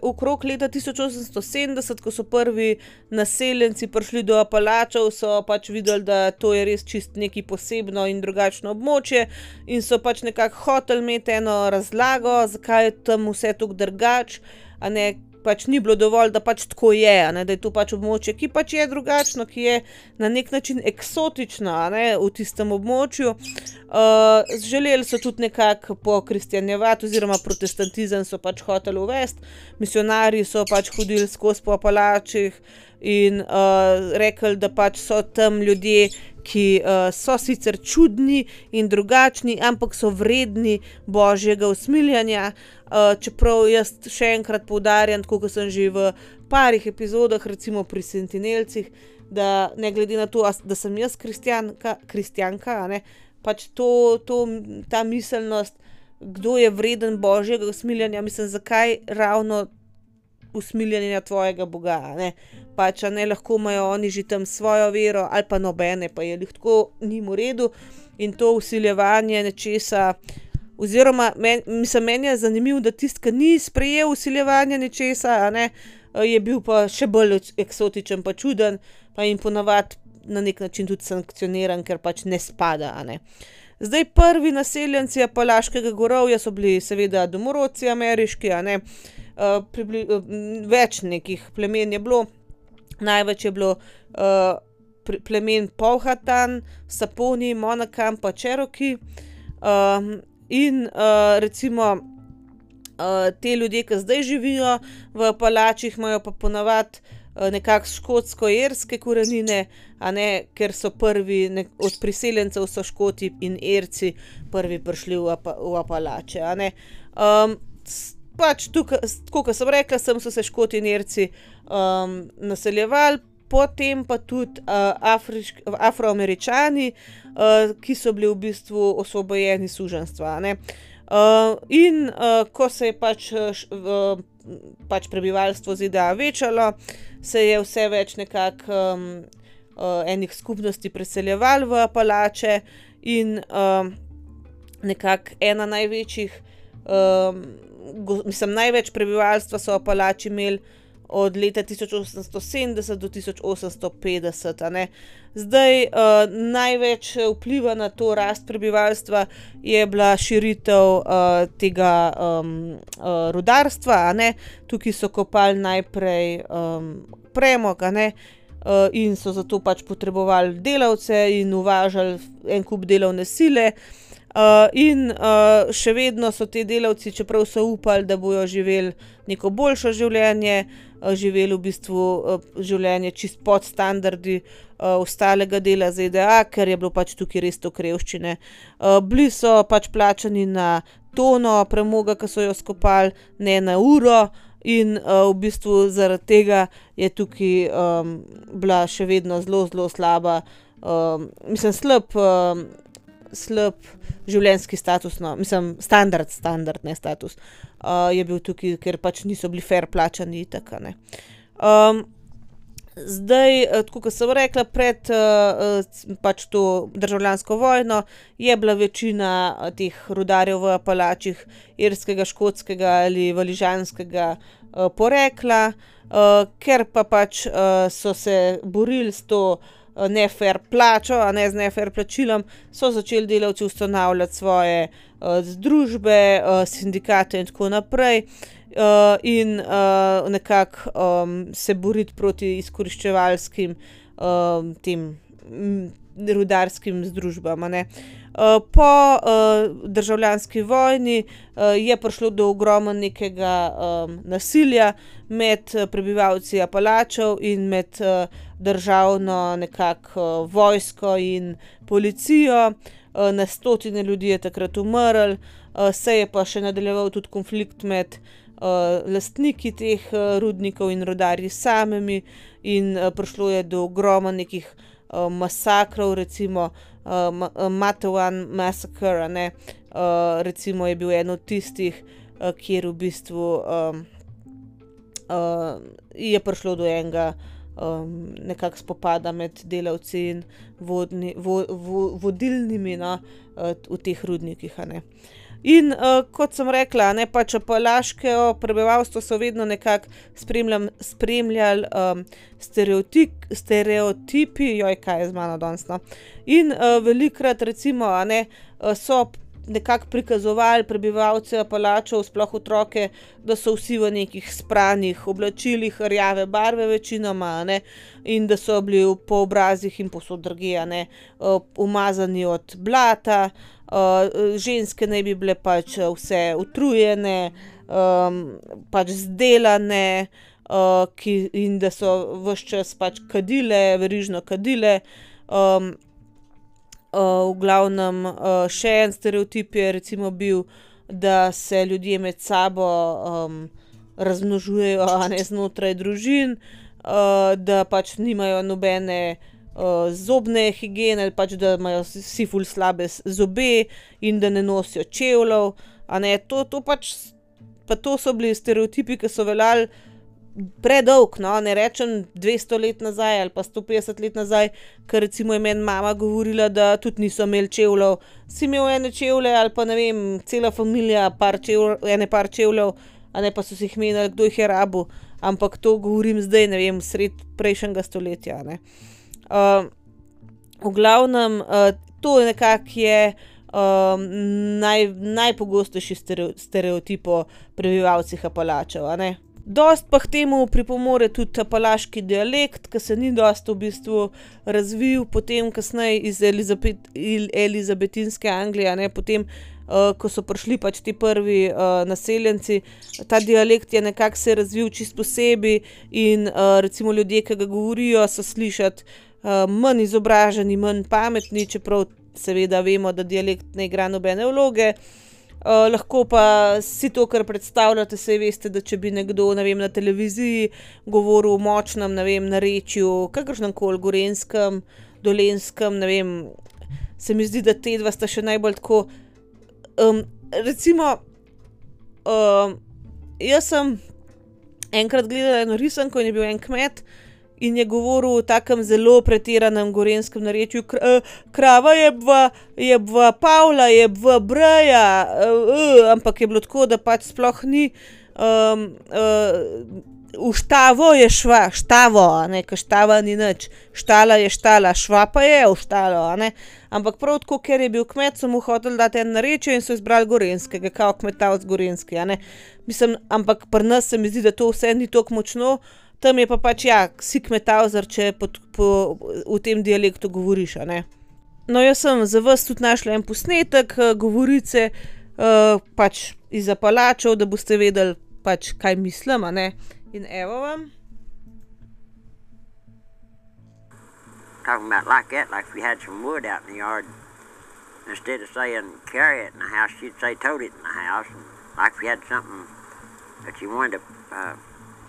okrog leta tisoč osemsto sedemdeset, ko so prvi naseljenci prišli do Apalačev, so pač videli, da to je res čist nekaj posebno in drugačno območje in so pač nekako hoteli imeti eno razlago, zakaj je tam vse tako drugače, a ne, pač ni bilo dovolj, da pač tako je, a ne, da je to pač območje, ki pač je drugačno, ki je na nek način eksotično, a ne, v tistem območju. Uh, želeli so tudi nekako pokristjanjevati oziroma protestantizem so pač hoteli uvesti, misionarji so pač hodili skozi po Apalačih in uh, rekli, da pač so tam ljudje, ki uh, so sicer čudni in drugačni, ampak so vredni božjega usmiljanja, uh, čeprav jaz še enkrat poudarjam, tako kot sem že v parih epizodah, recimo pri Sentinelcih, da ne glede na to, da sem jaz kristjanka, kristjanka, a ne, pač to, to, ta miselnost, kdo je vreden božjega usmiljanja, mislim, zakaj ravno usmiljanja tvojega Boga, a ne, pač, a ne, lahko imajo oni že tam svojo vero, ali pa nobene, pa je lih tako njim v redu in to vsiljevanje nečesa, oziroma, men, mislim, meni je zanimivo, da tist, ki ni sprejel vsiljevanja nečesa, a ne, je bil pa še bolj eksotičen pa čuden, pa jim ponavadi na nek način tudi sankcioniran, ker pač ne spada, a ne. Zdaj prvi naseljenci Apalaškega gorovja so bili seveda domorodci ameriški, a ne, uh, pribli, uh, več nekih plemen je bilo, največ je bilo uh, plemen Powhatan, Saponi, Monacan pa Cherokee uh, in uh, recimo uh, te ljudje, ki zdaj živijo v Apalačih, imajo pa ponavadi nekako škotsko-irske korenine, a ne, ker so prvi, ne, od priseljencev so Škoti in Irci prvi prišli v, Apa, v Apalače, a ne. Um, pač tukaj, tako kot sem rekla, sem so se Škoti in Irci um, naseljevali, potem pa tudi uh, Afrišk, Afroameričani, uh, ki so bili v bistvu osvobojeni suženjstva, a ne. Uh, in uh, ko se je pač uh, pač prebivalstvo Z D A večalo, se je vse več nekako um, uh, enih skupnosti preseljevalo v Apalače in um, nekako ena največjih, um, go, mislim, največ prebivalstva so Apalači imeli od leta tisoč osemsto sedemdeset do tisoč osemsto petdeset, a ne. Zdaj, uh, največ vpliva na to rast prebivalstva je bila širitev uh, tega um, uh, rudarstva, a ne. Tukaj so kopali najprej um, premog, a ne, uh, in so zato pač potrebovali delavce in uvažali en kup delovne sile. Uh, in uh, še vedno so te delavci, čeprav so upali, da bojo živeli neko boljše življenje, uh, živeli v bistvu uh, življenje čist pod standardi uh, ostalega dela Z D A, ker je bilo pač tukaj res to revščine. Uh, bili so pač plačani na tono premoga, ki so jo skopali, ne na uro, in uh, v bistvu zaradi tega je tukaj um, bila še vedno zelo, zelo slaba, um, mislim, slab, um, slab življenjski status, no, mislim, standard, standard, ne status, uh, je bil tukaj, ker pač niso bili fair plačani itak, ne. Um, zdaj, tako kot sem rekla, pred uh, pač to državljansko vojno je bila večina teh rudarjev v Apalačih irskega, škotskega ali valižanskega uh, porekla, uh, ker pa pač uh, so se borili s to nefair plačo, a ne z nefair plačilom, so začeli delavci ustanavljati svoje uh, združbe, uh, sindikate in tako naprej, uh, in uh, nekako um, se boriti proti izkoriščevalskim um, tem m, rudarskim združbam, a ne. Uh, po uh, državljanski vojni uh, je prišlo do ogromno nekega um, nasilja med prebivalci Apalačev in med uh, državno nekako uh, vojsko in policijo. Uh, na stotine ljudi je takrat umrlo, uh, se je pa še nadaljeval tudi konflikt med uh, lastniki teh uh, rudnikov in rudarji samimi in uh, prišlo je do ogromno nekih uh, masakrov, recimo Uh, Matewan Massacre, ne, uh, recimo je bil en od tistih, uh, kjer v bistvu um, uh, je prišlo do enega um, nekako spopada med delavci in vodni, vo, vo, vodilnimi, no, uh, v teh rudnikih, a ne. In uh, kot sem rekla, ne, pač apalaško prebivalstvo so vedno nekako spremljali um, stereotip, stereotipi, joj, kaj je z mano danes, no. In uh, velikrat recimo, a ne, so nekako prikazovali prebivalce Apalačev, sploh otroke, da so vsi v nekih spranih oblačilih rjave barve večinoma, a ne, in da so bili po obrazih in povsod drugje, a ne, uh, umazani od blata. Uh, ženske naj bi bile pač vse utrujene, um, pač zdelane, uh, ki, in da so ves čas pač kadile, verižno kadile. Um, uh, v glavnem uh, še en stereotip je recimo bil, da se ljudje med sabo um, razmnožujejo, a ne, znotraj družin, uh, da pač nimajo nobene Uh, zobne higiene, pač da imajo vsi ful slabe zobe in da ne nosijo čevljev, a ne, to, to pač, pa to so bili stereotipi, ki so veljali predolg, no, ne rečem dvesto let nazaj ali pa sto petdeset let nazaj, ker recimo je meni mama govorila, da tudi niso imeli čevljev, si imel ene čevlje ali pa ne vem, cela familija, par čevljev, ene par čevljev, a ne, pa so si jih menili, kdo jih je rabil, ampak to govorim zdaj, ne vem, sred prejšnjega stoletja, ne. Uh, v glavnem, uh, to nekako je um, naj, najpogostejši stereotip o prebivalcih Apalačev, a ne. Dost pa k temu pripomore tudi apalaški dialekt, ki se ni dost v bistvu razvil potem kasneje iz Elizabet, elizabetinske Anglije, a ne, potem, uh, ko so prišli pač ti prvi uh, naseljenci, ta dialekt je nekako se razvil čist posebej in uh, recimo ljudje, ki ga govorijo, so slišati Uh, manj izobraženi, manj pametni, čeprav seveda vemo, da dialekt ne igra nobene vloge. Uh, lahko pa si to, kar predstavljate, saj veste, da če bi nekdo, ne vem, na televiziji govoril o močnem, ne vem, narečju, kakršnemkoli gorenjskem, dolenskem, ne vem, se mi zdi, da te dva sta še najbolj tako, um, recimo, um, jaz sem enkrat gledala eno risanko in je bil en kmet, in je govoril o takem zelo pretiranem gorenjskem narečju, krava je bva, je bva Pavla, je bva Breja, uh, ampak je bilo tako, da pač sploh ni, um, uh, v štavo je šva, štavo, a ne, ka štava ni nič, štala je štala, šva pa je v štalo, a ne, ampak prav tako, ker je bil kmet, so mu hoteli dati en narečje in so izbrali gorenjskega, kao kmetavc gorenjski, a ne, mislim, ampak pri nas se mi zdi, da to vse ni toliko močno, tam je pa pač, ja, si kmetavzer, če po, po, v tem dialektu govoriš, a ne. No, jaz sem za vas tudi našla en posnetek govorice, uh, pač iz Apalačev, da boste vedeli pač, kaj mislim, a ne. In evo vam. Talking about like that, like if we had some wood out in the yard, instead of saying carry it in the house, you'd say tote it in the house. And like if you had something that you wanted to uh,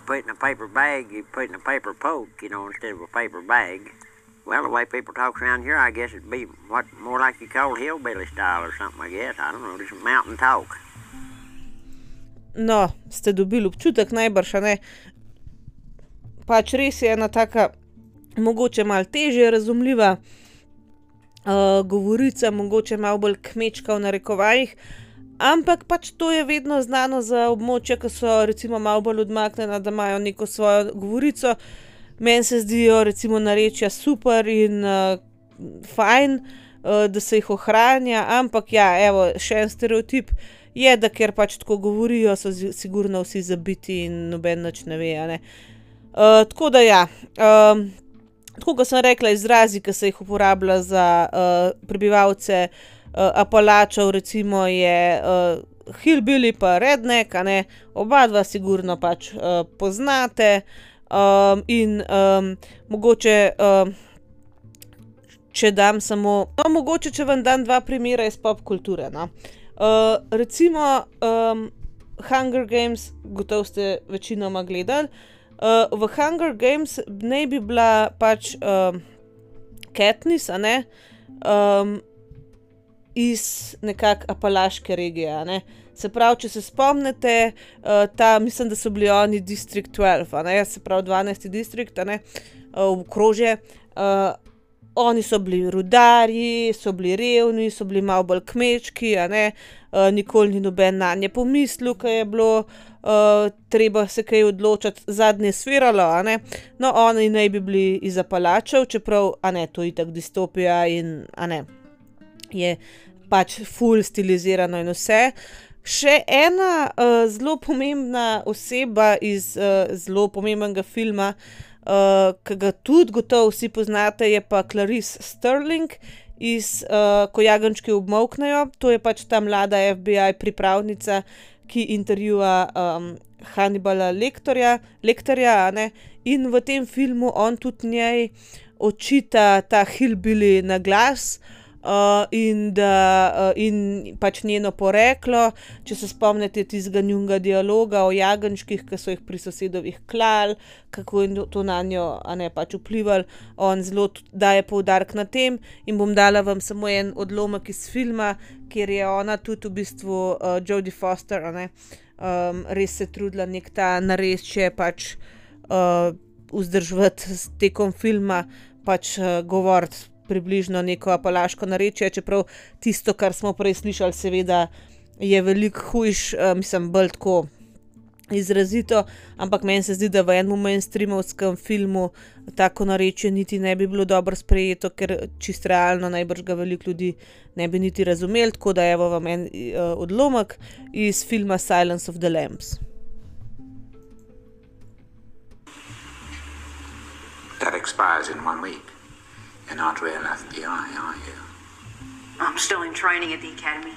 put in a paper bag, you put in a paper poke, you know, instead of a paper bag. Well, the way people talk around here, I guess it'd be what more like you call hillbilly style or something, I guess. I don't know, just mountain talk. No, ste dobili občutek najbrž, a ne. Pač res je ena taka, mogoče malo težje razumljiva uh, govorica, mogoče malo bolj kmečka v narekovajih, ampak pač to je vedno znano za območja, ki so recimo malo bolj odmaknjena, da imajo neko svojo govorico. Meni se zdijo recimo narečja super in uh, fajn, uh, da se jih ohranja, ampak ja, evo, še en stereotip je, da ker pač tako govorijo, so sigurno vsi zabiti in noben nič ne ve, a ne. Uh, tako da ja, um, tako kot sem rekla, izrazi, ki se jih uporablja za uh, prebivalce uh, Apalačev, recimo je uh, hillbilly pa redneck, a ne, oba dva sigurno pač uh, poznate. Um, in um, mogoče, um, če dam samo, no, mogoče, če vam dam dva primera iz pop kulture, no. Uh, recimo um, Hunger Games, gotovo ste večinoma gledali. Uh, v Hunger Games naj bi bila pač um, Katniss, a ne, um, iz nekak Apalaške regije, a ne. Se pravi, če se spomnite, uh, ta, mislim, da so bili oni District dvanajst, a ne, se pravi dvanajsti distrikt, a ne, uh, okrožje. Uh, oni so bili rudarji, so bili revni, so bili malo bolj kmečki, a ne, uh, nikoli ni noben nanje pomislil, ko je bilo uh, treba se kaj odločati, zadnje sviralo, a ne. No, oni naj bi bili iz Apalačev, čeprav, a ne, to je itak distopija in, a ne, je pač ful stilizirano in vse. Še ena uh, zelo pomembna oseba iz uh, zelo pomembnega filma, uh, ki ga tudi gotovo vsi poznate, je pa Clarice Sterling iz uh, Ko jagenjčki obmolknejo. To je pač ta mlada F B I pripravnica, ki intervjuja um, Hannibala Lecterja, Lecterja, a ne, in v tem filmu on tudi njej očita ta hillbilly na glas. Uh, in, da, uh, in pač njeno poreklo, če se spomnite tistega njunga dialoga o jagenjčkih, ki so jih pri sosedovih klali, kako je to na njo, a ne, pač vplivalo, on zelo daje poudarek na tem in bom dala vam samo en odlomek iz filma, kjer je ona tudi v bistvu uh, Jodie Foster, a ne, um, res se trudila nek ta narečje pač uh, vzdrževati tekom filma, pač uh, govoriti približno neko apalaško narečje, čeprav tisto, kar smo prej slišali, seveda je veliko hujš, uh, mislim, bolj tako izrazito, ampak meni se zdi, da v enem mainstreamovskem filmu tako narečje niti ne bi bilo dobro sprejeto, ker čisto realno najbrž ga veliko ljudi ne bi niti razumeli, tako da evo vam en uh, odlomek iz filma Silence of the Lambs. That expires in one week. You're not real F B I, are you? I'm still in training at the academy.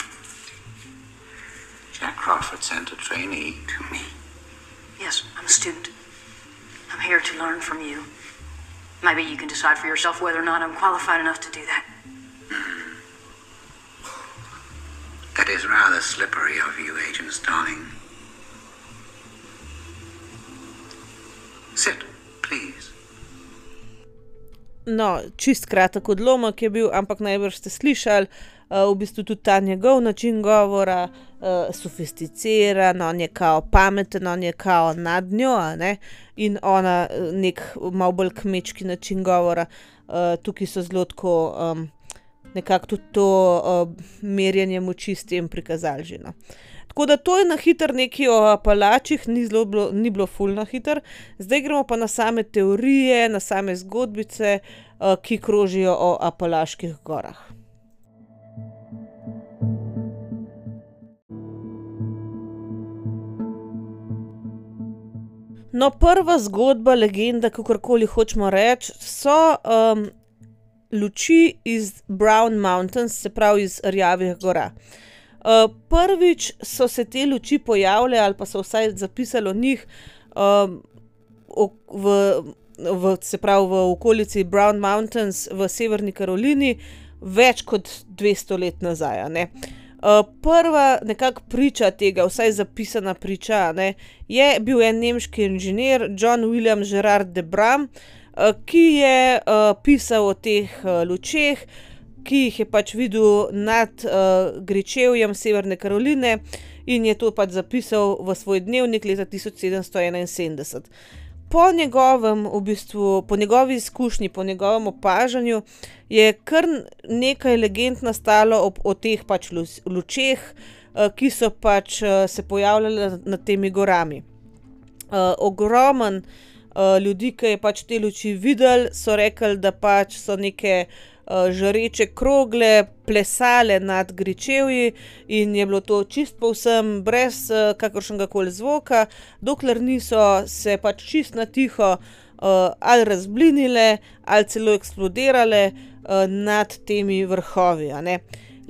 Jack Crawford sent a trainee. To me? Yes, I'm a student. I'm here to learn from you. Maybe you can decide for yourself whether or not I'm qualified enough to do that. Mm. That is rather slippery of you, Agent Starling. Sit, please. No, čist kratek odlomek je bil, ampak najbrž ste slišali, uh, v bistvu tudi ta njegov način govora, uh, sofisticiran, on je kao pameten, on je kao nad njo, a ne, in ona nek malo bolj kmečki način govora. Uh, tukaj so zelo tako um, nekako tudi to uh, merjenje moči s tem prikazali že, no. Tako da to je na hiter nekaj o Apalačih, ni, zelo bilo, ni bilo ful na hiter. Zdaj gremo pa na same teorije, na same zgodbice, uh, ki krožijo o Apalaških gorah. No, prva zgodba, legenda, kakorkoli hočemo reči, so um, luči iz Brown Mountains, se pravi iz Rjavih gora. Uh, prvič so se te luči pojavile, ali pa so vsaj zapisali o njih, um, v, v, se pravi v okolici Brown Mountains v Severni Karolini, več kot dvesto let nazaj, a ne. Uh, prva nekako priča tega, vsaj zapisana priča, ne, je bil en nemški inženir, John William Gerard de Bram, uh, ki je uh, pisal o teh uh, lučeh, ki jih je pač videl nad uh, gričevjem Severne Karoline in je to pač zapisal v svoj dnevnik leta tisoč sedemsto enainsedemdeset. Po njegovem, v bistvu, po njegovi izkušnji, po njegovem opažanju je kar nekaj legend nastalo ob, o teh pač lučeh, uh, ki so pač uh, se pojavljale nad temi gorami. Uh, ogromen uh, ljudi, ki je pač te luči videli, so rekli, da pač so neke uh, žareče krogle plesale nad gričevji in je bilo to čist povsem brez uh, kakršnega koli zvoka, dokler niso se pač čist na tiho uh, ali razblinile ali celo eksplodirale uh, nad temi vrhovi, a ne.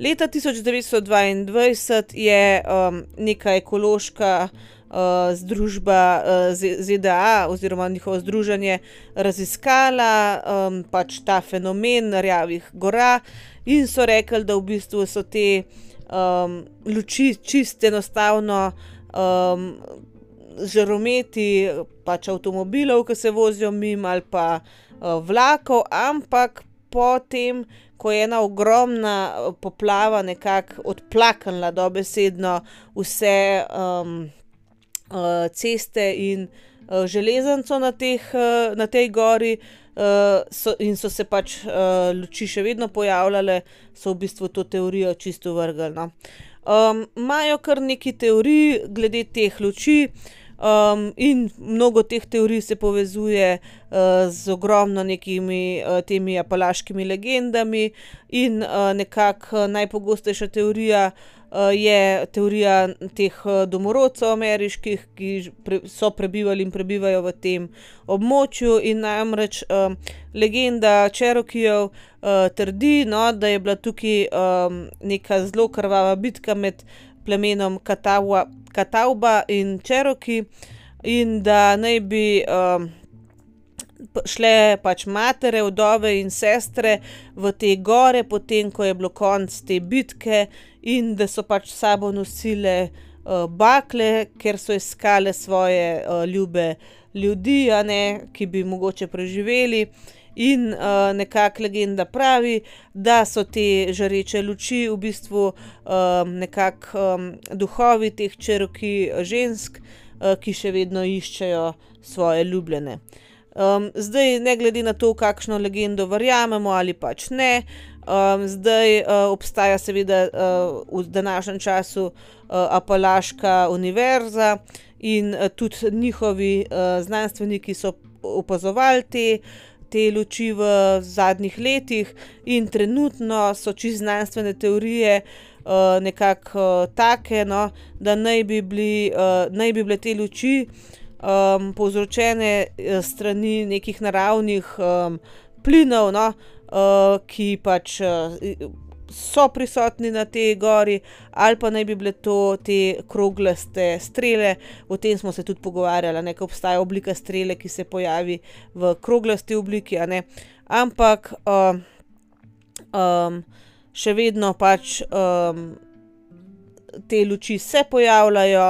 Leta tisoč devetsto dvaindvajset je um, neka ekološka Uh, združba uh, Z D A oziroma njihovo združenje raziskala um, pač ta fenomen Rjavih gora in so rekli, da v bistvu so te um, luči čist enostavno um, žarometi pač avtomobilov, ki se vozijo mimo, ali pa uh, vlakov, ampak potem, ko je ena ogromna poplava nekako odplaknila dobesedno vse um, Uh, ceste in uh, železnico na, teh, uh, na tej gori uh, so, in so se pač uh, luči še vedno pojavljale, so v bistvu to teorijo čisto vrgli, no. Um, imajo kar nekaj teorij glede teh luči um, in mnogo teh teorij se povezuje uh, z ogromno nekimi uh, temi apalaškimi legendami in uh, nekako najpogostejša teorija Uh, je teorija teh uh, domorodcev ameriških, ki pre, so prebivali in prebivajo v tem območju in namreč uh, legenda Cherokeejev uh, trdi, no, da je bila tukaj um, neka zelo krvava bitka med plemenom Catawba, Catawba in Cherokee in da naj bi um, šle pač matere, vdove in sestre v te gore, potem ko je bilo konc te bitke in da so pač s sabo nosile uh, bakle, ker so iskale svoje uh, ljube ljudi, a ne, ki bi mogoče preživeli. In uh, nekako legenda pravi, da so te žareče luči v bistvu um, nekako um, duhovi teh Cherokee žensk, uh, ki še vedno iščejo svoje ljubljene. Um, zdaj, ne glede na to, kakšno legendo verjamemo ali pač ne, um, zdaj uh, obstaja seveda uh, v današnjem času uh, Apalaška univerza in uh, tudi njihovi uh, znanstveniki so opazovali te, te luči v zadnjih letih in trenutno so čisto znanstvene teorije uh, nekako uh, take, no, da naj bi, bili, uh, naj bi bile te luči Um, povzročene strani nekih naravnih um, plinov, no, uh, ki pač uh, so prisotni na tej gori, ali pa naj bi bile to te kroglaste strele. O tem smo se tudi pogovarjali, ne, ko obstaja oblika strele, ki se pojavi v kroglasti obliki, a ne, ampak uh, um, še vedno pač um, te luči se pojavljajo.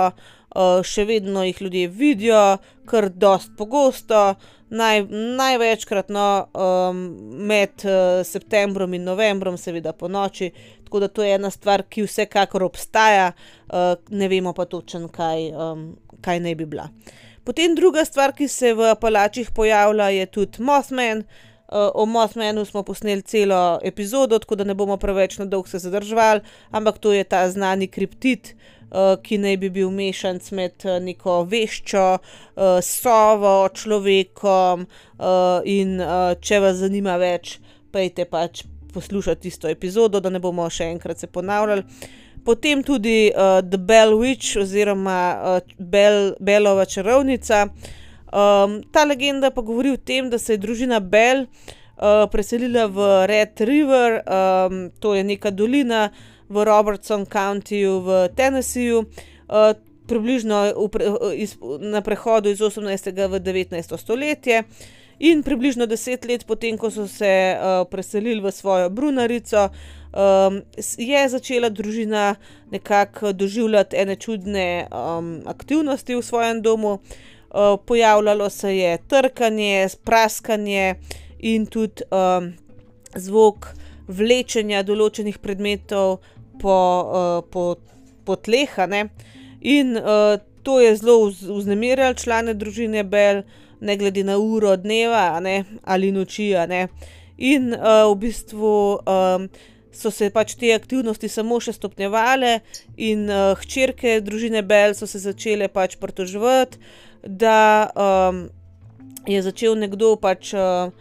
Uh, še vedno jih ljudje vidijo, kar dost pogosto, naj, največkrat no, um, med uh, septembrom in novembrom, seveda po noči, tako da to je ena stvar, ki vsekakor obstaja, uh, ne vemo pa točno, kaj, um, kaj naj bi bila. Potem druga stvar, ki se v Apalačih pojavlja, je tudi Mothman. Uh, o Mothmanu smo posneli celo epizodo, tako da ne bomo preveč na dolgo se zadrževali, ampak to je ta znani kriptid, Uh, ki naj bi bil mešanc med uh, neko veščo, uh, sovo, človekom uh, in uh, če vas zanima več, pejte pač poslušati tisto epizodo, da ne bomo še enkrat se ponavljali. Potem tudi uh, The Bell Witch oziroma uh, Bell, Bellova čarovnica. Um, ta legenda pa govori o tem, da se je družina Bell uh, preselila v Red River, um, to je neka dolina v Robertson Countyju v Tennesseeju, uh, približno v pre, iz, na prehodu iz osemnajstega v devetnajsto stoletje. In približno deset let potem, ko so se uh, preselili v svojo brunarico, um, je začela družina nekako doživljati ene čudne um, aktivnosti v svojem domu. Uh, pojavljalo se je trkanje, praskanje in tudi um, zvok vlečenja določenih predmetov po, uh, po, po tleh, ne. In uh, to je zelo vznemirjalo člane družine Bell, ne glede na uro dneva, ne, ali noči, ne. In uh, v bistvu um, so se pač te aktivnosti samo še stopnjevale in uh, hčerke družine Bell so se začele pač pritoževati, da um, je začel nekdo pač, uh,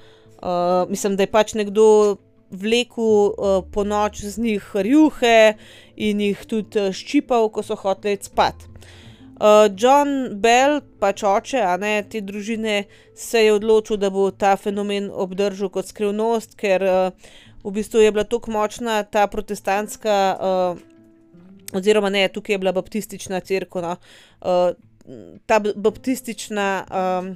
uh, mislim, da je pač nekdo vlekel uh, po noč z njih rjuhe in jih tudi ščipal, ko so hoteli spat. Uh, John Bell, pač oče, a ne, te družine, se je odločil, da bo ta fenomen obdržal kot skrivnost, ker uh, v bistvu je bila tako močna ta protestantska, uh, oziroma ne, tukaj je bila baptistična cerkev, no, uh, ta baptistična um,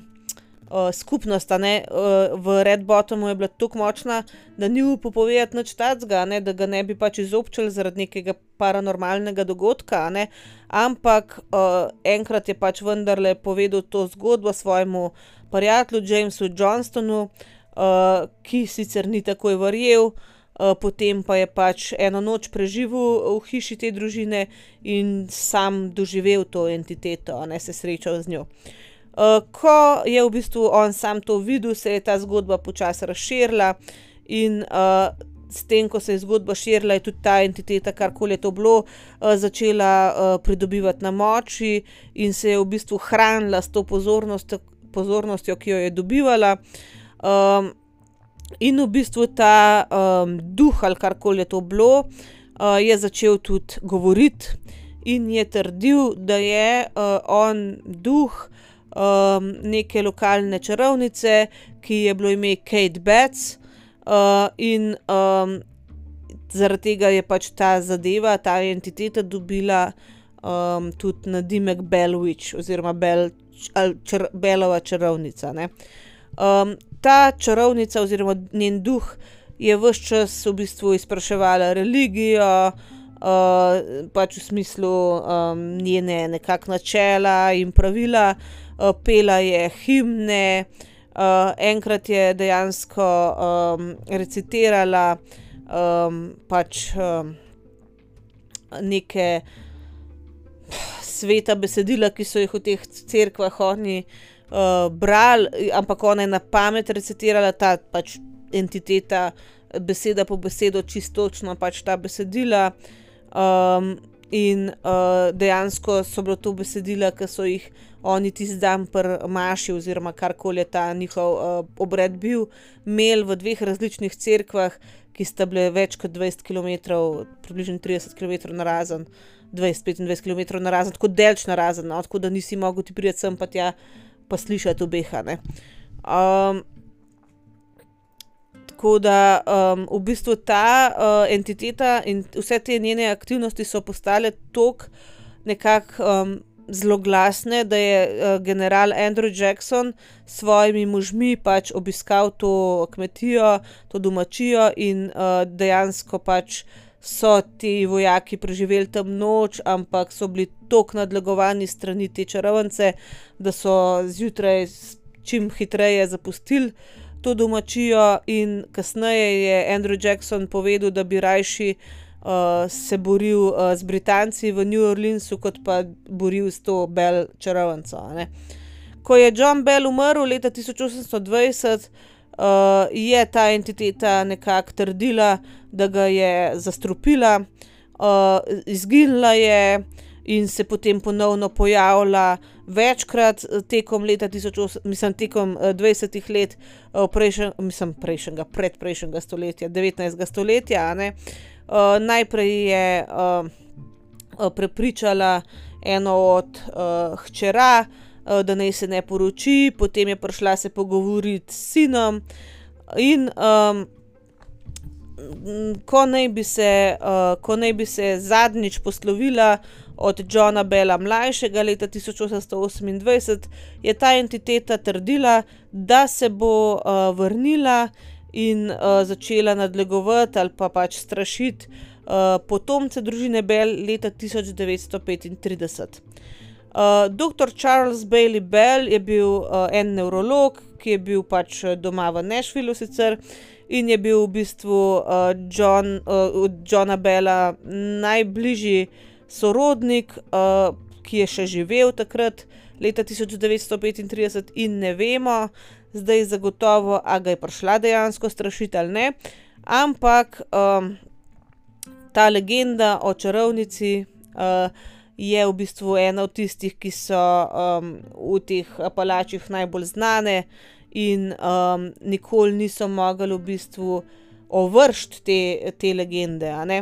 uh, skupnost, a ne, uh, v Red Bottomu je bila tako močna, da ni upal povedati nič takega, ne, da ga ne bi pač izobčili zaradi nekega paranormalnega dogodka, a ne, ampak uh, enkrat je pač vendarle povedal to zgodbo svojemu prijatelju Jamesu Johnstonu, uh, ki sicer ni takoj verjel, uh, potem pa je pač eno noč preživel v hiši te družine in sam doživel to entiteto, a ne, se srečal z njo. Uh, ko je v bistvu on sam to videl, se je ta zgodba počasi razširila in uh, s tem, ko se je zgodba širila, je tudi ta entiteta, karkoli je to bilo, uh, začela uh, pridobivati na moči in se je v bistvu hranila s to pozornostjo, pozornostjo, ki jo je dobivala. Um, in v bistvu ta um, duh, ali karkoli je to bilo, uh, je začel tudi govoriti in je trdil, da je uh, on duh um, neke lokalne čarovnice, ki je bilo ime Kate Betts, uh, in um, zaradi tega je pač ta zadeva, ta entiteta dobila um, tudi nadimek Bell Witch oziroma Bell, čar, Bellova čarovnica, ne. Um, ta čarovnica oziroma njen duh je ves čas v bistvu izpraševala religijo, uh, pač v smislu um, njene nekak načela in pravila, uh, pela je himne, uh, enkrat je dejansko um, recitirala um, pač um, neke sveta besedila, ki so jih v teh cerkvah oni uh, brali, ampak ona je na pamet recitirala ta pač entiteta, beseda po besedo, čistočno pač ta besedila, um, in uh, dejansko so bilo to besedila, ki so jih oni tisti dan pri maši oziroma karkoli je ta njihov uh, obred bil, imeli v dveh različnih cerkvah, ki sta bile več kot dvajset kilometrov, približno trideset kilometrov narazen, dvajset petindvajset kilometrov narazen, tako delč narazen, no, tako da nisi mogel ti priti sem pa tja pa slišati obeha, ne. Um, tako da um, v bistvu ta uh, entiteta in vse te njene aktivnosti so postale toliko nekako um, zloglasne, da je uh, general Andrew Jackson s svojimi možmi pač obiskal to kmetijo, to domačijo in uh, dejansko pač so ti vojaki preživeli tam noč, ampak so bili toliko nadlegovani strani te čarovnice, da so zjutraj čim hitreje zapustili to domačijo in kasneje je Andrew Jackson povedal, da bi rajši uh, se boril uh, z Britanci v New Orleansu, kot pa boril s to Bell čarovnico, ne. Ko je John Bell umrl leta tisoč osemsto dvajset, uh, je ta entiteta nekako trdila, da ga je zastrupila, uh, izginila je in se potem ponovno pojavila večkrat tekom leta tisoč osem, mislim, tekom dvajsetih let uh, prejšen, mislim, prejšnjega, predprejšnjega stoletja, devetnajstega stoletja, a ne. Uh, najprej je uh, prepričala eno od uh, hčera uh, da naj se ne poroči, potem je prišla se pogovoriti s sinom in um, ko naj bi se, uh, ko naj bi se zadnjič poslovila od Johna Bella mlajšega leta tisoč osemsto osemindvajset, je ta entiteta trdila, da se bo uh, vrnila in uh, začela nadlegovati ali pa pač strašiti uh, potomce družine Bell leta tisoč devetsto petintrideset. Uh, doktor Charles Bailey Bell je bil uh, en nevrolog, ki je bil pač doma v Nashvilleu sicer in je bil v bistvu uh, John, uh, Johna Bella najbližji sorodnik, uh, ki je še živel takrat, leta tisoč devetsto petintrideset in ne vemo zdaj zagotovo, a ga je prišla dejansko strašiti ali ne, ampak um, ta legenda o čarovnici uh, je v bistvu ena od tistih, ki so um, v teh Apalačih najbolj znane in um, nikoli niso mogli v bistvu ovršiti te, te legende, a ne.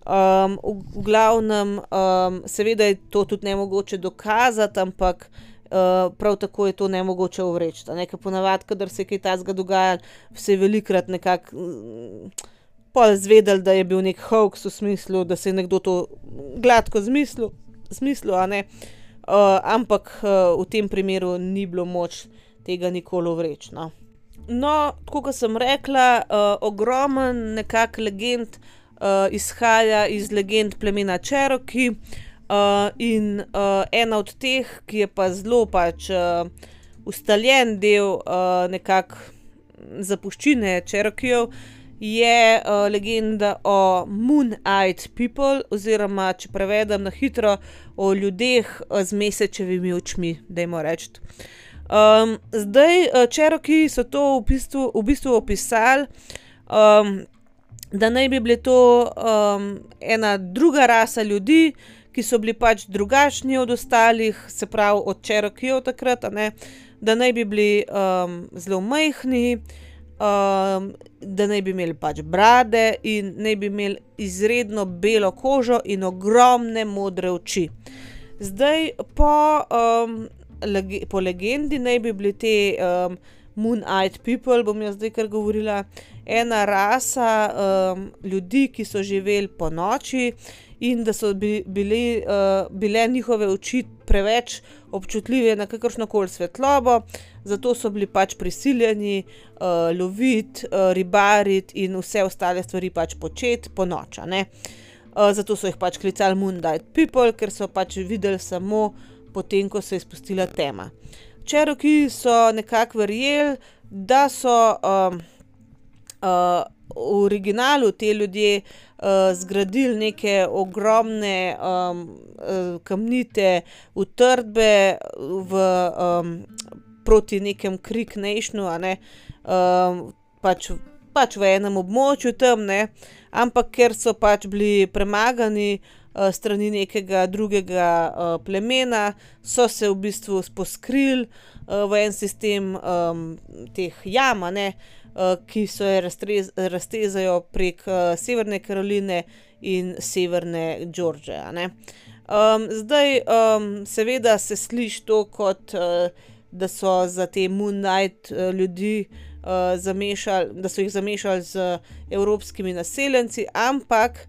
Um, v, v glavnem, um, seveda je to tudi nemogoče dokazati, ampak uh, prav tako je to nemogoče ovreči. Ker ponavadi, kadar se je kaj takega dogajalo, se je velikrat nekako um, pol zvedeli, da je bil nek hoax v smislu, da se je nekdo to gladko zmislil, zmislil, a ne. Uh, ampak uh, v tem primeru ni bilo moč tega nikoli ovreči, no. No, tako kot sem rekla, uh, ogromen nekak legend Uh, izhaja iz legend plemena Cherokee uh, in uh, ena od teh, ki je pa zelo pač uh, ustaljen del uh, nekako zapuščine Cherokeejev, je uh, legenda o Moon-eyed people, oziroma, če prevedem na hitro, o ljudeh z mesečevimi očmi, dajmo reči. Um, zdaj, uh, Cherokee so to v bistvu, v bistvu opisali, um, da naj bi bili to um, ena druga rasa ljudi, ki so bili pač drugačni od ostalih, se pravi od Cherokeejev takrat, a ne, da naj bi bili um, zelo majhni, um, da naj bi imeli pač brade in naj bi imeli izredno belo kožo in ogromne modre oči. Zdaj, po, um, lege, po legendi naj bi bili te um, Moon-eyed people, bom jaz zdaj kar govorila, ena rasa um, ljudi, ki so živeli po noči in da so bi, bili, uh, bile njihove oči preveč občutljive na kakršnokoli svetlobo, zato so bili pač prisiljeni uh, loviti, uh, ribariti in vse ostale stvari pač početi po noč, a ne. Uh, zato so jih pač klicali Moon-eyed people, ker so pač videli samo potem, ko se je spustila tema. Cherokee so nekako verjeli, da so um, uh, v originalu te ljudje uh, zgradili neke ogromne um, uh, kamnite utrdbe v, um, proti nekem Creek Nationu, a ne, um, pač, pač v enem območju tam, ne, ampak ker so pač bili premagani strani nekega drugega uh, plemena, so se v bistvu poskrili uh, v en sistem um, teh jam, ne, uh, ki se raztrez, raztezajo prek uh, Severne Karoline in Severne Georgije, ne. Um, zdaj, um, seveda se sliši to kot, uh, da so za te Moon-eyed uh, ljudi uh, zamešali, da so jih zamešali z evropskimi naseljenci, ampak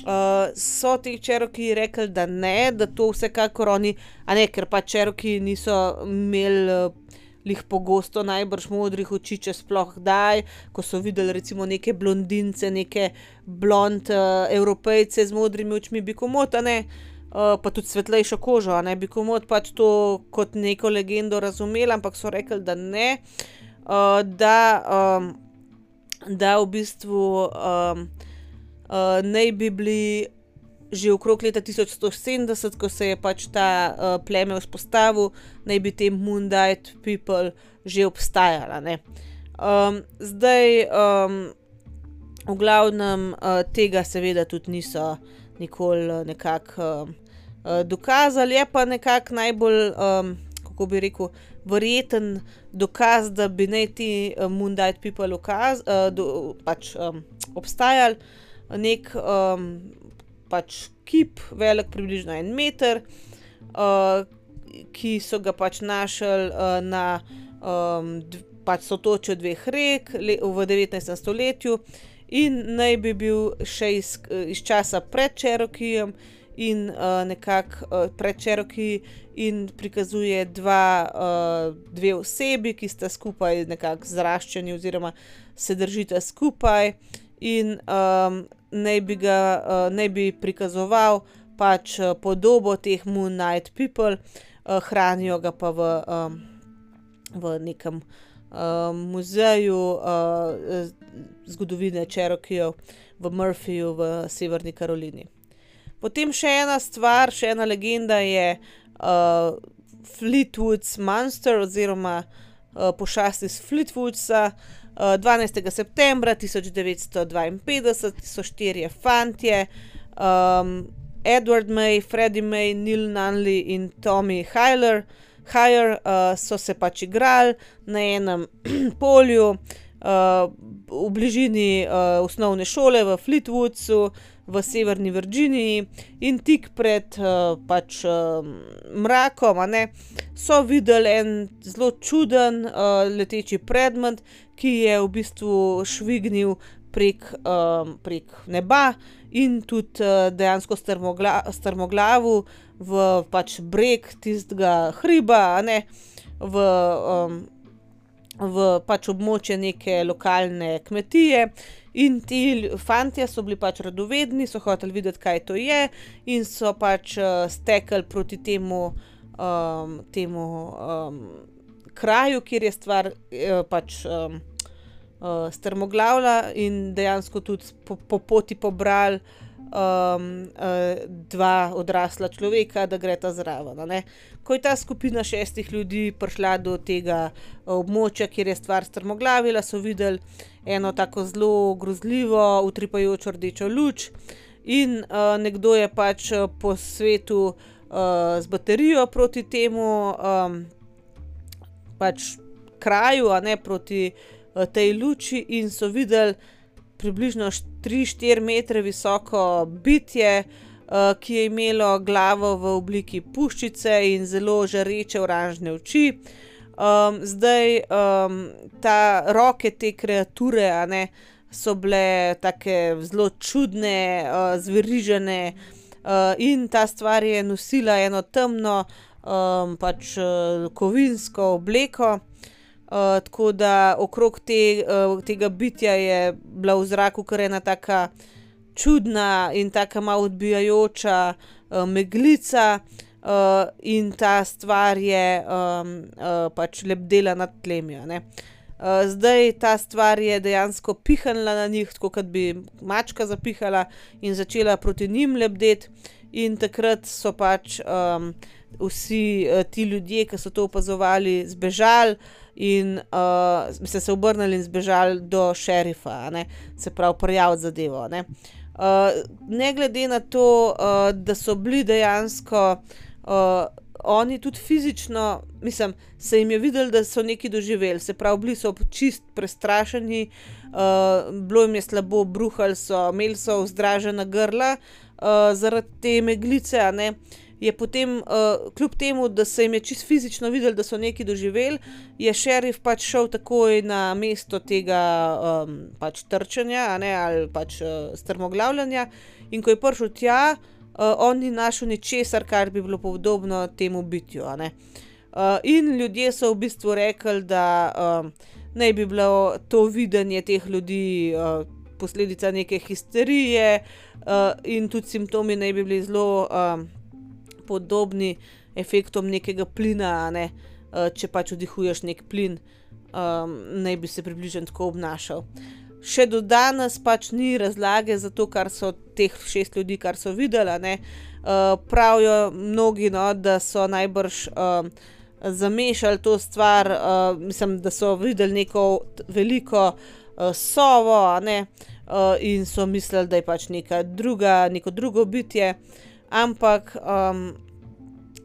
Uh, so teh Cherokee rekli, da ne, da to vsekakor oni, a ne, ker pa Cherokee niso imeli uh, lih pogosto najbrž modrih oči, če sploh kdaj, ko so videli recimo neke blondince, neke blond uh, evropejce z modrimi očmi, bi komot, a ne, uh, pa tudi svetlejšo kožo, a ne, bi komot pač to kot neko legendo razumeli, ampak so rekli, da ne, uh, da, um, da v bistvu um, Uh, naj bi bili že okrog leta tisoč sto sedemdeset, ko se je pač ta uh, pleme vzpostavil, naj bi te Moon-eyed people že obstajala, ne. Um, zdaj, um, v glavnem, uh, tega seveda tudi niso nikoli nekako uh, uh, dokazali, je pa nekako najbolj, um, kako bi rekel, verjeten dokaz, da bi naj ti uh, Moon-eyed people ukaz, uh, do, pač um, obstajali, nek um, pač kip, velik približno en meter, uh, ki so ga pač našli uh, na um, pač sotočju dveh rek le, v devetnajstem stoletju in naj bi bil še iz, iz časa pred Cherokeejem in uh, nekako uh, pred Cherokee in prikazuje dva, uh, dve osebi, ki sta skupaj nekako zraščeni oziroma se držita skupaj in um, naj bi ga, uh, naj bi prikazoval pač uh, podobo teh Moon Knight People, uh, hranijo ga pa v, um, v nekem um, muzeju uh, zgodovine Cherokeejev v Murphyju v Severni Karolini. Potem še ena stvar, še ena legenda je uh, Fleetwood's Monster oziroma uh, pošast iz Fleetwoodsa. Uh, dvanajstega septembra tisoč devetsto dvainpetdeset so štirje fantje, um, Edward May, Freddie May, Neil Nunley in Tommy Hyler, Hyler uh, so se pač igrali na enem polju uh, v bližini uh, osnovne šole v Fleetwoodsu v Severni Virginiji in tik pred uh, pač uh, mrakom, a ne, so videli en zelo čuden uh, leteči predmet, ki je v bistvu švignil prek, um, prek neba in tudi uh, dejansko strmogla, strmoglavil v pač breg tistega hriba, a ne, v, um, v pač območje neke lokalne kmetije. In ti fantje so bili pač radovedni, so hoteli videti, kaj to je in so pač uh, stekli proti temu, um, temu um, kraju, kjer je stvar uh, pač um, uh, strmoglavila in dejansko tudi po, po poti pobrali um, uh, dva odrasla človeka, da greta zraven, a ne. Ko je ta skupina šestih ljudi prišla do tega območja, kjer je stvar strmoglavila, so videli eno tako zelo grozljivo, utripajočo rdečo luč in uh, nekdo je pač po svetu uh, z baterijo proti temu um, pač kraju, a ne, proti uh, tej luči in so videli približno tri štiri metre visoko bitje, uh, ki je imelo glavo v obliki puščice in zelo žareče oranžne oči. Um, zdaj, um, ta roke te kreature, a ne, so bile take zelo čudne, uh, zverižene uh, in ta stvar je nosila eno temno, um, pač uh, kovinsko obleko, uh, tako da okrog te, uh, tega bitja je bila v zraku kar ena taka čudna in taka malo odbijajoča uh, meglica. Uh, in ta stvar je um, uh, pač lebdela nad tlemi, ne. Uh, zdaj ta stvar je dejansko pihnila na njih, tako kot bi mačka zapihala in začela proti njim lebdeti in takrat so pač um, vsi uh, ti ljudje, ki so to opazovali, zbežali in uh, se, se obrnili in zbežali do šerifa, a ne, se pravi prijaviti zadevo, ne. Uh, ne glede na to, uh, da so bili dejansko Uh, oni tudi fizično, mislim, se jim je videli, da so nekaj doživeli, se pravi, bili so čist prestrašeni, uh, bilo jim je slabo, bruhali so, imeli so vzdražena grla uh, zaradi te meglice, a ne, je potem, uh, kljub temu, da se jim je čist fizično videli, da so nekaj doživeli, je šerif pač šel takoj na mesto tega um, pač trčenja, a ne, ali pač uh, strmoglavljanja in ko je prišel tja, Uh, on ni našel ničesar, kar bi bilo podobno temu bitju, a ne. Uh, in ljudje so v bistvu rekli, da uh, naj bi bilo to videnje teh ljudi uh, posledica neke histerije uh, in tudi simptomi naj bi bili zelo uh, podobni efektom nekega plina, a ne. Uh, če pač vdihuješ nek plin, um, naj bi se približno tako obnašal. Še do danes pač ni razlage za to, kar so teh šest ljudi, kar so videli, ne. Uh, pravijo mnogi, no, da so najbrž uh, zamešali to stvar, uh, mislim, da so videli neko veliko uh, sovo, a ne, uh, in so mislili, da je pač neka druga, neko drugo bitje, ampak um,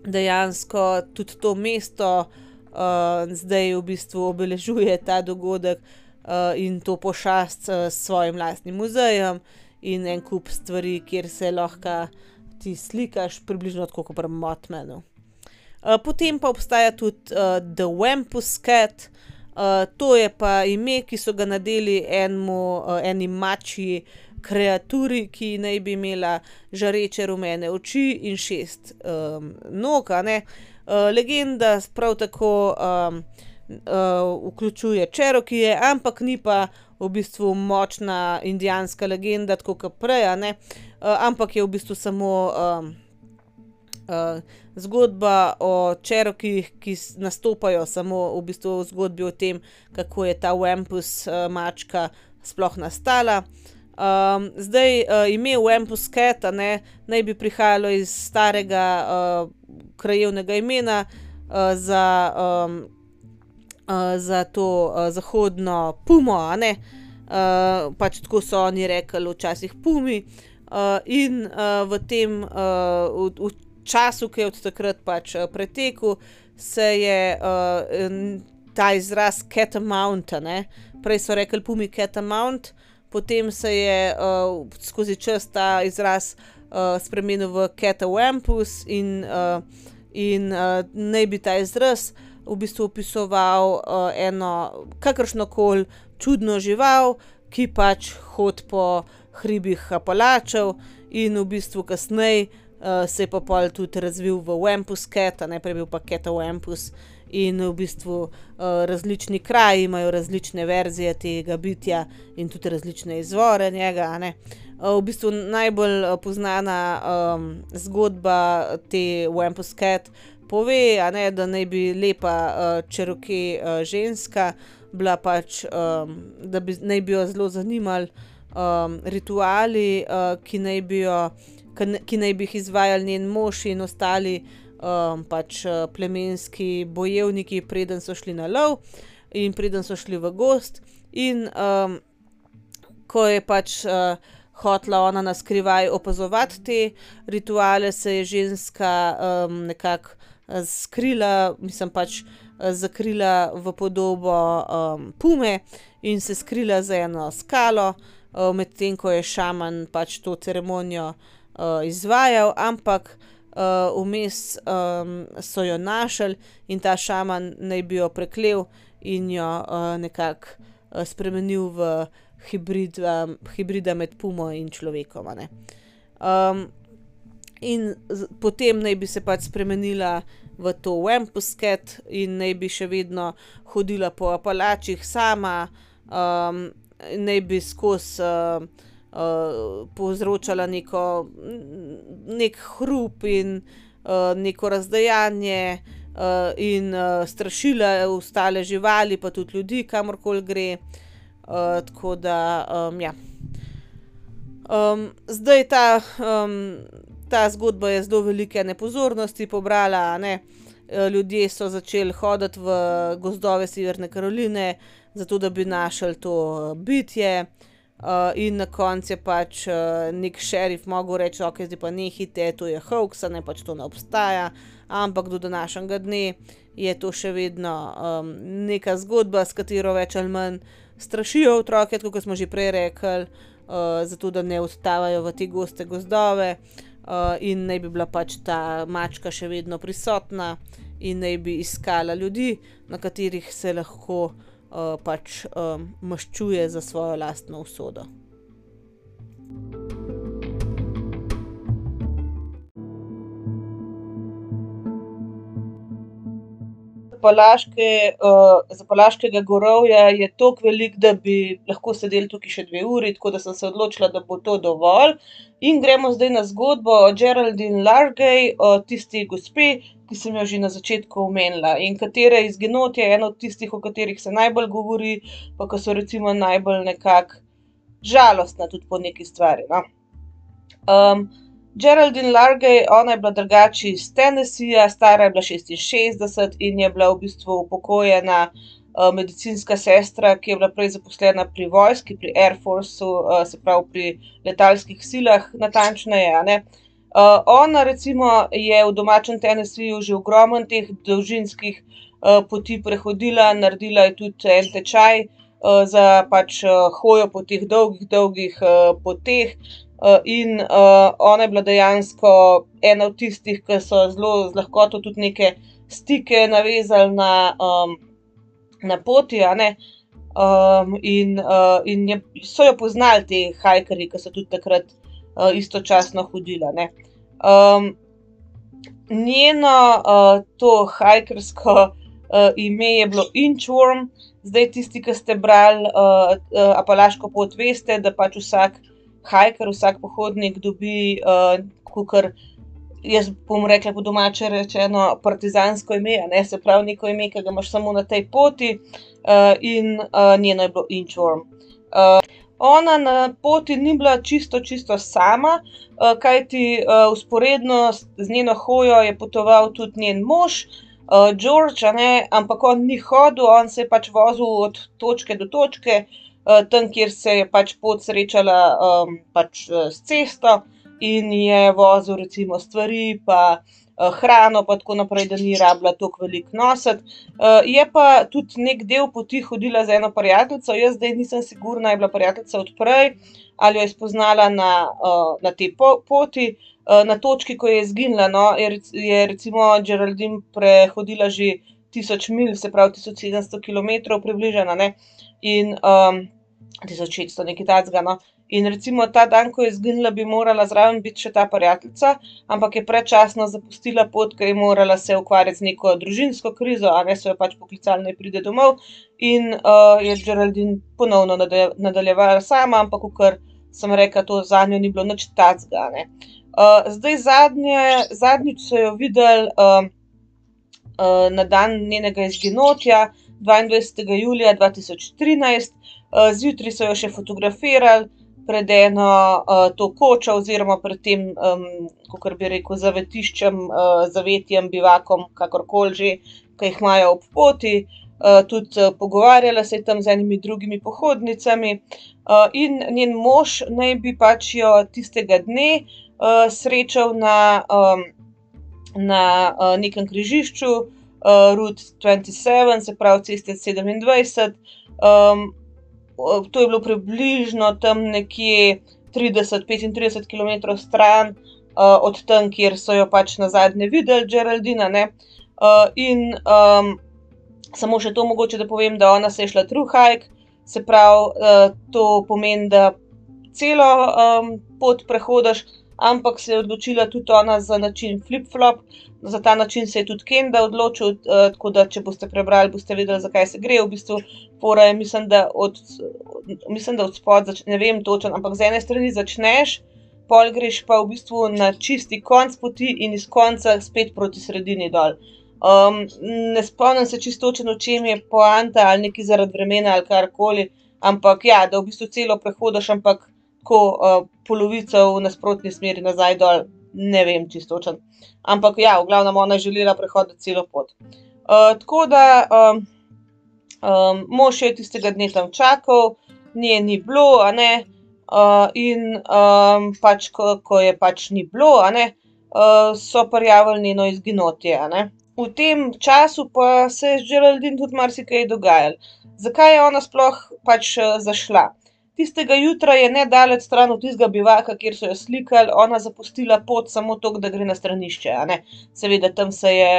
dejansko tudi to mesto uh, zdaj v bistvu obeležuje ta dogodek, Uh, in to pošast uh, s svojim lastnim muzejem in en kup stvari, kjer se lahko ti slikaš, približno tako kot pri Mothmanu. Uh, potem pa obstaja tudi uh, The Wampus Cat, uh, to je pa ime, ki so ga nadeli enemu, uh, eni mačji kreaturi, ki naj bi imela žareče rumene oči in šest um, nog, a ne. Uh, legenda prav tako um, uh, vključuje Cherokee, ampak ni pa v bistvu močna indijanska legenda, tako kot prej, a ne. Uh, ampak je v bistvu samo um, uh, zgodba o Cherokeejih, ki nastopajo samo v bistvu v zgodbi o tem, kako je ta Wampus uh, mačka sploh nastala. Um, zdaj, uh, ime Wampus Cat, ne, naj bi prihajalo iz starega uh, krajevnega imena uh, za, um, uh, za to uh, zahodno pumo, a ne. Uh, pač tako so oni rekli včasih pumi. Uh, in uh, v tem uh, v, v času, ki je od takrat pač uh, pretekel, se je uh, ta izraz Catamount, ne. Prej so rekli pumi Catamount, potem se je uh, skozi čas ta izraz uh, spremenil v Catawampus in, uh, in uh, naj bi ta izraz v bistvu opisoval uh, eno kakršnokoli čudno žival, ki pač hodi po hribih Apalačev in v bistvu kasneje uh, se je pa pol tudi razvil v Wampus Cat, ne, prej bil pa Catawampus. In v bistvu uh, različni kraji imajo različne verzije tega bitja in tudi različne izvore njega, ne. Uh, v bistvu najbolj uh, poznana um, zgodba te Wampus Cat pove, a ne, da naj bi lepa uh, Cherokee uh, ženska bila pač, um, da bi, naj bi jo zelo zanimali um, rituali, uh, ki naj bi jo, ki naj bi jih izvajali njen mož in ostali Um, pač uh, plemenski bojevniki, preden so šli na lov in preden so šli v gozd. In um, ko je pač uh, hotela ona na skrivaj opazovati te rituale, se je ženska um, nekako uh, skrila, mislim pač uh, zakrila v podobo um, pume in se skrila za eno skalo, uh, medtem ko je šaman pač to ceremonijo uh, izvajal, ampak Uh, vmes um, so jo našli in ta šaman naj bi jo preklel in jo uh, nekako uh, spremenil v hibrida, hibrida med pumo in človekom, ne. Um, in z, potem naj bi se pač spremenila v to Wampus Cat in naj bi še vedno hodila po Apalačih sama, um, naj bi skozi uh, Uh, povzročala neko, nek hrup in uh, neko razdajanje uh, in uh, strašila ostale živali, pa tudi ljudi, kamorkoli gre. Uh, tako da, um, ja. Um, zdaj ta, um, ta zgodba je zelo velike nepozornosti pobrala, ne. Ljudje so začeli hoditi v gozdove Severne Karoline, zato da bi našli to bitje. Uh, in na koncu je pač uh, nek šerif mogel reči, ok, zdaj pa nehite, to je hoax, ne, pač to ne obstaja, ampak do današnjega dne je to še vedno um, neka zgodba, s katero več ali manj strašijo otroke, tako kot smo že prej rekli, uh, zato da ne odstavajo v te goste gozdove uh, in naj bi bila pač ta mačka še vedno prisotna in naj bi iskala ljudi, na katerih se lahko Uh, pač um, maščuje za svojo lastno usodo. Zapalaške, uh, Zapalaškega gorovja je toliko veliko, da bi lahko sedeli tukaj še dve uri, tako da sem se odločila, da bo to dovolj. In gremo zdaj na zgodbo o Geraldine Largay, o tisti gospe, ki sem jo že na začetku omenila in katere izginot je eno od tistih, o katerih se najbolj govori, pa ko so recimo najbolj nekako žalostna tudi po neki stvari, no. Um, Geraldine Largay, ona je bila drugače iz Tennesseeja, stara je bila šestinšestdeset in je bila v bistvu upokojena uh, medicinska sestra, ki je bila prej zaposlena pri vojski, pri Air Forceu, uh, se pravi pri letalskih silah, natančneje, a ne. Uh, ona recimo je v domačem Tennesseeju že ogromno teh dolžinskih uh, poti prehodila, naredila je tudi en tečaj uh, za pač uh, hojo po teh dolgih, dolgih uh, poteh uh, in uh, ona je bila dejansko ena od tistih, ki so zelo z lahkoto tudi neke stike navezali na, um, na poti, a ne. Um, in uh, in je, so jo poznali ti hajkerji, ki so tudi takrat uh, istočasno hodili, ne. Um, njeno uh, to hajkersko uh, ime je bilo Inchworm. Zdaj tisti, ki ste brali uh, uh, Apalaško pot, veste, da pač vsak hajker, vsak pohodnik dobi uh, kakor, jaz bom rekla po domače rečeno, partizansko ime, a ne, se pravi neko ime, ki ga imaš samo na tej poti, uh, in uh, njeno je bilo Inchworm. Uh, ona na poti ni bila čisto, čisto sama, uh, kajti uh, vzporedno z njeno hojo je potoval tudi njen mož, uh, George, a ne, ampak on ni hodil, on se je pač vozil od točke do točke, uh, tam, kjer se je pač pot srečala um, pač uh, s cesto, in je vozil recimo stvari pa uh, hrano pa tako naprej, da ni rabila toliko veliko nositi. Uh, je pa tudi nek del poti hodila z eno prijateljico, jaz zdaj nisem sigurna, je bila prijateljica od prej ali jo je spoznala na, uh, na tej po poti, uh, na točki, ko je izginila, no, je, je recimo Geraldine prehodila že tisoč milj, se pravi tisoč sedemsto kilometrov približno, ne, in um, tisoč šeststo, nekaj takega, no. In recimo ta dan, ko je izginila, bi morala zraven biti še ta prijateljica, ampak je predčasno zapustila pot, ker je morala se ukvarjati z neko družinsko krizo, a ne, so jo pač poklicali, naj pride domov, in uh, je Geraldine ponovno nadaljevala sama, ampak kakor sem rekla, to zanjo ni bilo nič takega, ne. Uh, zdaj zadnje, zadnjič so jo videli uh, uh, na dan njenega izginotja, dvaindvajsetega julija dva tisoč trinajst, uh, zjutraj so jo še fotografirali pred eno uh, to kočo oziroma pred tem, um, kakor bi rekel, zavetiščem, uh, zavetjem, bivakom, kakorkoli že, ki jih imajo ob poti. Uh, tudi uh, pogovarjala se je tam z enimi drugimi pohodnicami, uh, in njen mož naj bi pač jo tistega dne uh, srečal na, um, na uh, nekem križišču, uh, Route dvajset sedem, se pravi ceste sedemindvajset. Um, To je bilo približno tam nekje trideset, petintrideset kilometrov stran uh, od tam, kjer so jo pač nazadnje videli, Geraldina, ne. Uh, in um, samo še to mogoče, da povem, da ona se je šla through hike, se pravi, uh, to pomeni, da celo um, pot prehodiš, ampak se je odločila tudi ona za način flip-flop, za ta način se je tudi Kenda odločil, uh, tako da če boste prebrali, boste vedeli, zakaj se gre. V bistvu fora je, mislim, da od, mislim, da od spod, ne vem točno, ampak z ene strani začneš, pol greš pa v bistvu na čisti konc poti in iz konca spet proti sredini dol. Um, ne spomnim se čisto točno, v čem je poanta, ali nekaj zaradi vremena ali karkoli, ampak ja, da v bistvu celo prehodiš, ampak tako uh, polovico v nasprotni smeri nazaj dol, ne vem čisto točno. Ampak ja, v glavnem ona je želela prehoditi celo pot. Uh, tako da um, um, mož je tistega dne tam čakal, nje ni bilo, a ne, uh, in um, pač, ko, ko je pač ni bilo, a ne, uh, so prijavili njeno izginotje, a ne. V tem času pa se je z Geraldine tudi marsikaj dogajalo. Zakaj je ona sploh pač uh, zašla? Tistega jutra je nedaleč stran od tistega bivaka, kjer so jo slikali, ona zapustila pot samo toliko, da gre na stranišče, a ne. Seveda tam se je,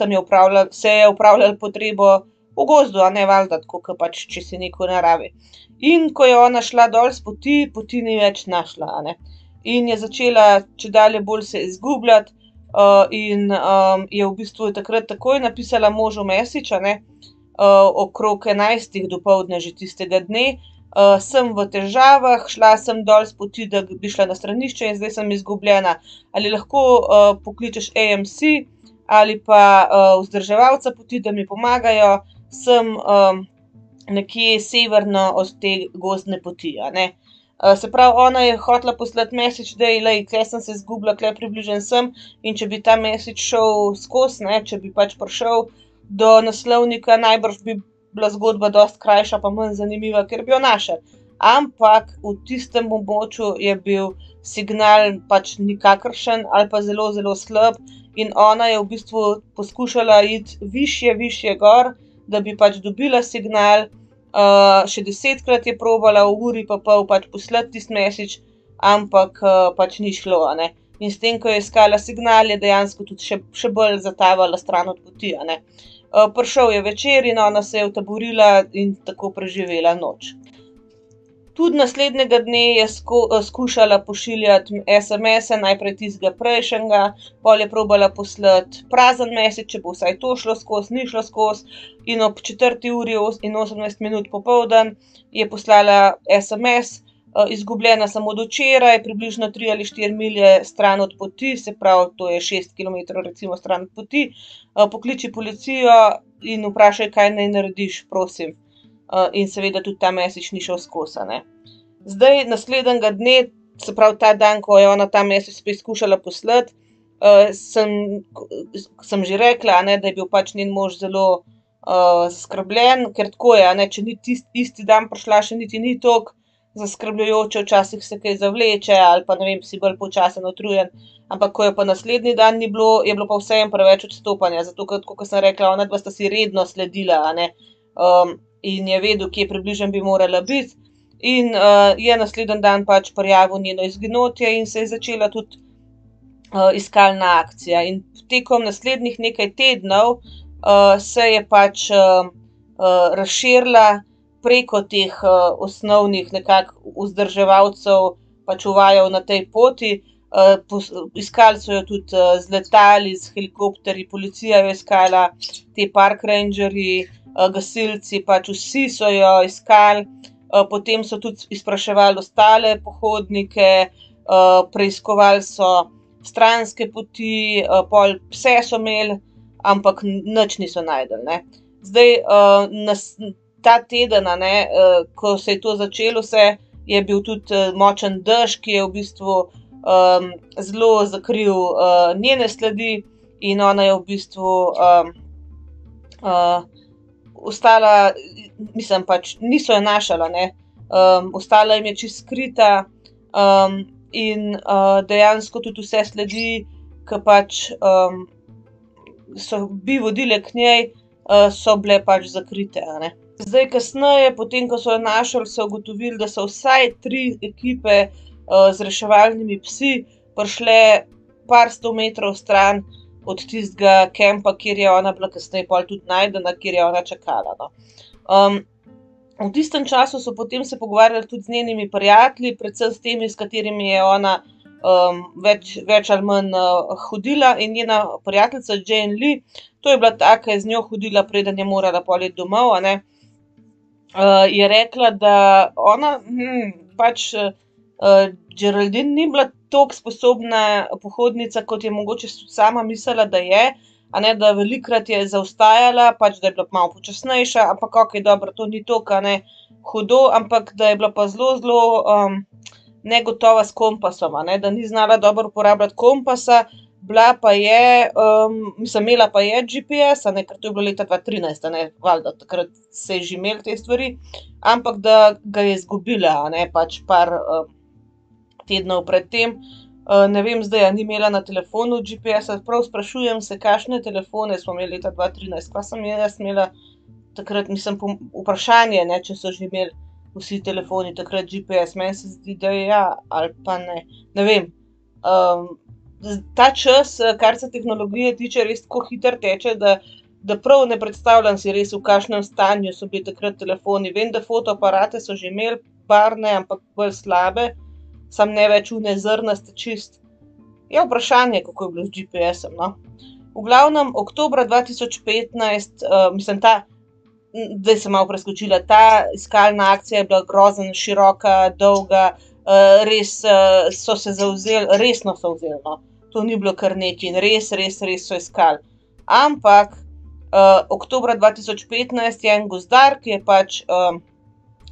tam je opravljala, se je opravljala potrebo v gozdu, a ne, valjda, tako kot pač, če si neko v naravi. In ko je ona šla dol s poti, poti ni več našla, a ne. In je začela čedalje bolj se izgubljati, uh, in um, je v bistvu takrat takoj napisala možu message, a ne, uh, okrog enajstih dopoldne že tistega dne. Uh, sem v težavah, šla sem dol s poti, da bi šla na stranišče in zdaj sem izgubljena. Ali lahko uh, pokličeš A M C ali pa uh, vzdrževalca poti, da mi pomagajo, sem um, nekje severno od te gozdne poti, a ne. Uh, se pravi, ona je hotela poslati message, da je, lej, tle sem se izgubila, tle približen sem, in če bi ta message šel skozi, ne, če bi pač prišel do naslovnika, najbrž bi bila zgodba dosti krajša pa manj zanimiva, ker bi jo našel. Ampak v tistem območju je bil signal pač nikakršen ali pa zelo, zelo slab, in ona je v bistvu poskušala iti višje, višje gor, da bi pač dobila signal. Uh, še desetkrat je probala v uri pa pol pač poslati tisti message, ampak uh, pač ni šlo, a ne. in s tem, ko je iskala signal, je dejansko tudi še, še bolj zatavala stran od poti, a ne. Uh, prišel je večer in ona se je utaborila in tako preživela noč. Tudi naslednjega dne je sko, skušala pošiljati es em es-e, najprej tistega prejšnjega, pol je probala poslati prazen message, če bo vsaj to šlo skozi, ni šlo skozi, in ob četrti uri in osemnajst minut popoldan je poslala es em es, izgubljena sem od včeraj, približno tri ali štiri milje stran od poti, se pravi, to je šest kilometrov recimo stran od poti, pokliči policijo in vprašaj, kaj naj narediš, prosim. In seveda tudi ta message ni šel skozi, a ne. Zdaj, naslednjega dne, se pravi ta dan, ko je ona ta message spet skušala poslati, sem, sem že rekla, a ne, da je bil pač njen mož zelo zaskrbljen, ker tako je, a ne, če ni tisti isti dan prišla, še niti ni toliko zaskrbljujoče, včasih se kaj zavleče ali pa ne vem, si bolj počasen, utrujen, ampak ko je pa naslednji dan ni bilo, je bilo pa vseeno preveč odstopanja, zato ker, tako kot sem rekla, onadva sta si redno sledila, a ne, um, in je vedel, kje približno bi morala biti, in uh, je naslednji dan pač prijavil njeno izginotje in se je začela tudi uh, iskalna akcija. In tekom naslednjih nekaj tednov uh, se je pač uh, uh, razširila preko teh uh, osnovnih nekako vzdrževalcev, pač uvajajo na tej poti. Uh, pos, iskali so jo tudi uh, z letali, z helikopterji, policija jo iskala, te park rangerji, uh, gasilci, pač vsi so jo iskali. Uh, potem so tudi izpraševali ostale pohodnike, uh, preiskovali so stranske poti, uh, pol pse so imeli, ampak nič niso našli, ne. Zdaj, uh, nas, ta teden, a ne, uh, ko se je to začelo vse, je bil tudi uh, močen dež, ki je v bistvu um, zelo zakril uh, njene sledi in ona je v bistvu um, uh, ostala, mislim pač, niso jo našla, ne, um, ostala jim je čisto skrita um, in uh, dejansko tudi vse sledi, ki pač um, so bi vodile k njej, uh, so bile pač zakrite, a ne. Zdaj, kasneje, potem, ko so jo našli, so ugotovili, da so vsaj tri ekipe uh, z reševalnimi psi prišle par sto metrov stran od tistega kempa, kjer je ona bila kasneje pol tudi najdena, kjer je ona čakala, no. Um, v tistem času so potem se pogovarjali tudi z njenimi prijatelji, predvsem s temi, s katerimi je ona um, več, več ali manj uh, hodila, in njena prijateljica Jane Lee, to je bila ta, ki je z njo hodila, preden je morala pol iti domov, a ne. Uh, je rekla, da ona, hm, pač uh, Geraldine ni bila toliko sposobna pohodnica, kot je mogoče sama mislila, da je, a ne, da velikokrat je zaostajala, pač da je bila malo počasnejša, ampak okej, dobro, to ni toliko, a ne, hudo, ampak da je bila pa zelo, zelo um, negotova s kompasom, a ne, da ni znala dobro uporabljati kompasa, bila pa je, um, mislim, imela pa je G P S, a ne, ker to je bilo leta dva trinajst, a ne, valjda, takrat se je že imel te stvari, ampak da ga je izgubila, a ne, pač par um, tednov pred tem. Uh, ne vem zdaj, a ni imela na telefonu G P S-a, prav sprašujem se, kakšne telefone smo imeli leta dva trinajst, kva sem jaz imela takrat, mislim, vprašanje, ne, če so že imeli vsi telefoni takrat G P S, meni se zdi, da ja, ali pa ne, ne vem. Um, ta čas, kar se tehnologije tiče, res tako hitro teče, da, da prav ne predstavljam si res, v kakšnem stanju so bili takrat telefoni. Vem, da fotoaparate so že imeli barvne, ampak bolj slabe, sam ne več une zrnaste čist. Je vprašanje, kako je bilo z G P S-em, no. V glavnem, oktobra dva tisoč petnajst, uh, mislim, ta, zdaj sem malo preskočila, ta iskalna akcija je bila grozno široka, dolga, uh, res uh, so se zavzeli, resno so vzeli, no. To ni bilo kar nekaj in res, res, res so iskali. Ampak, uh, oktobra dva tisoč petnajst je en gozdar, ki je pač uh,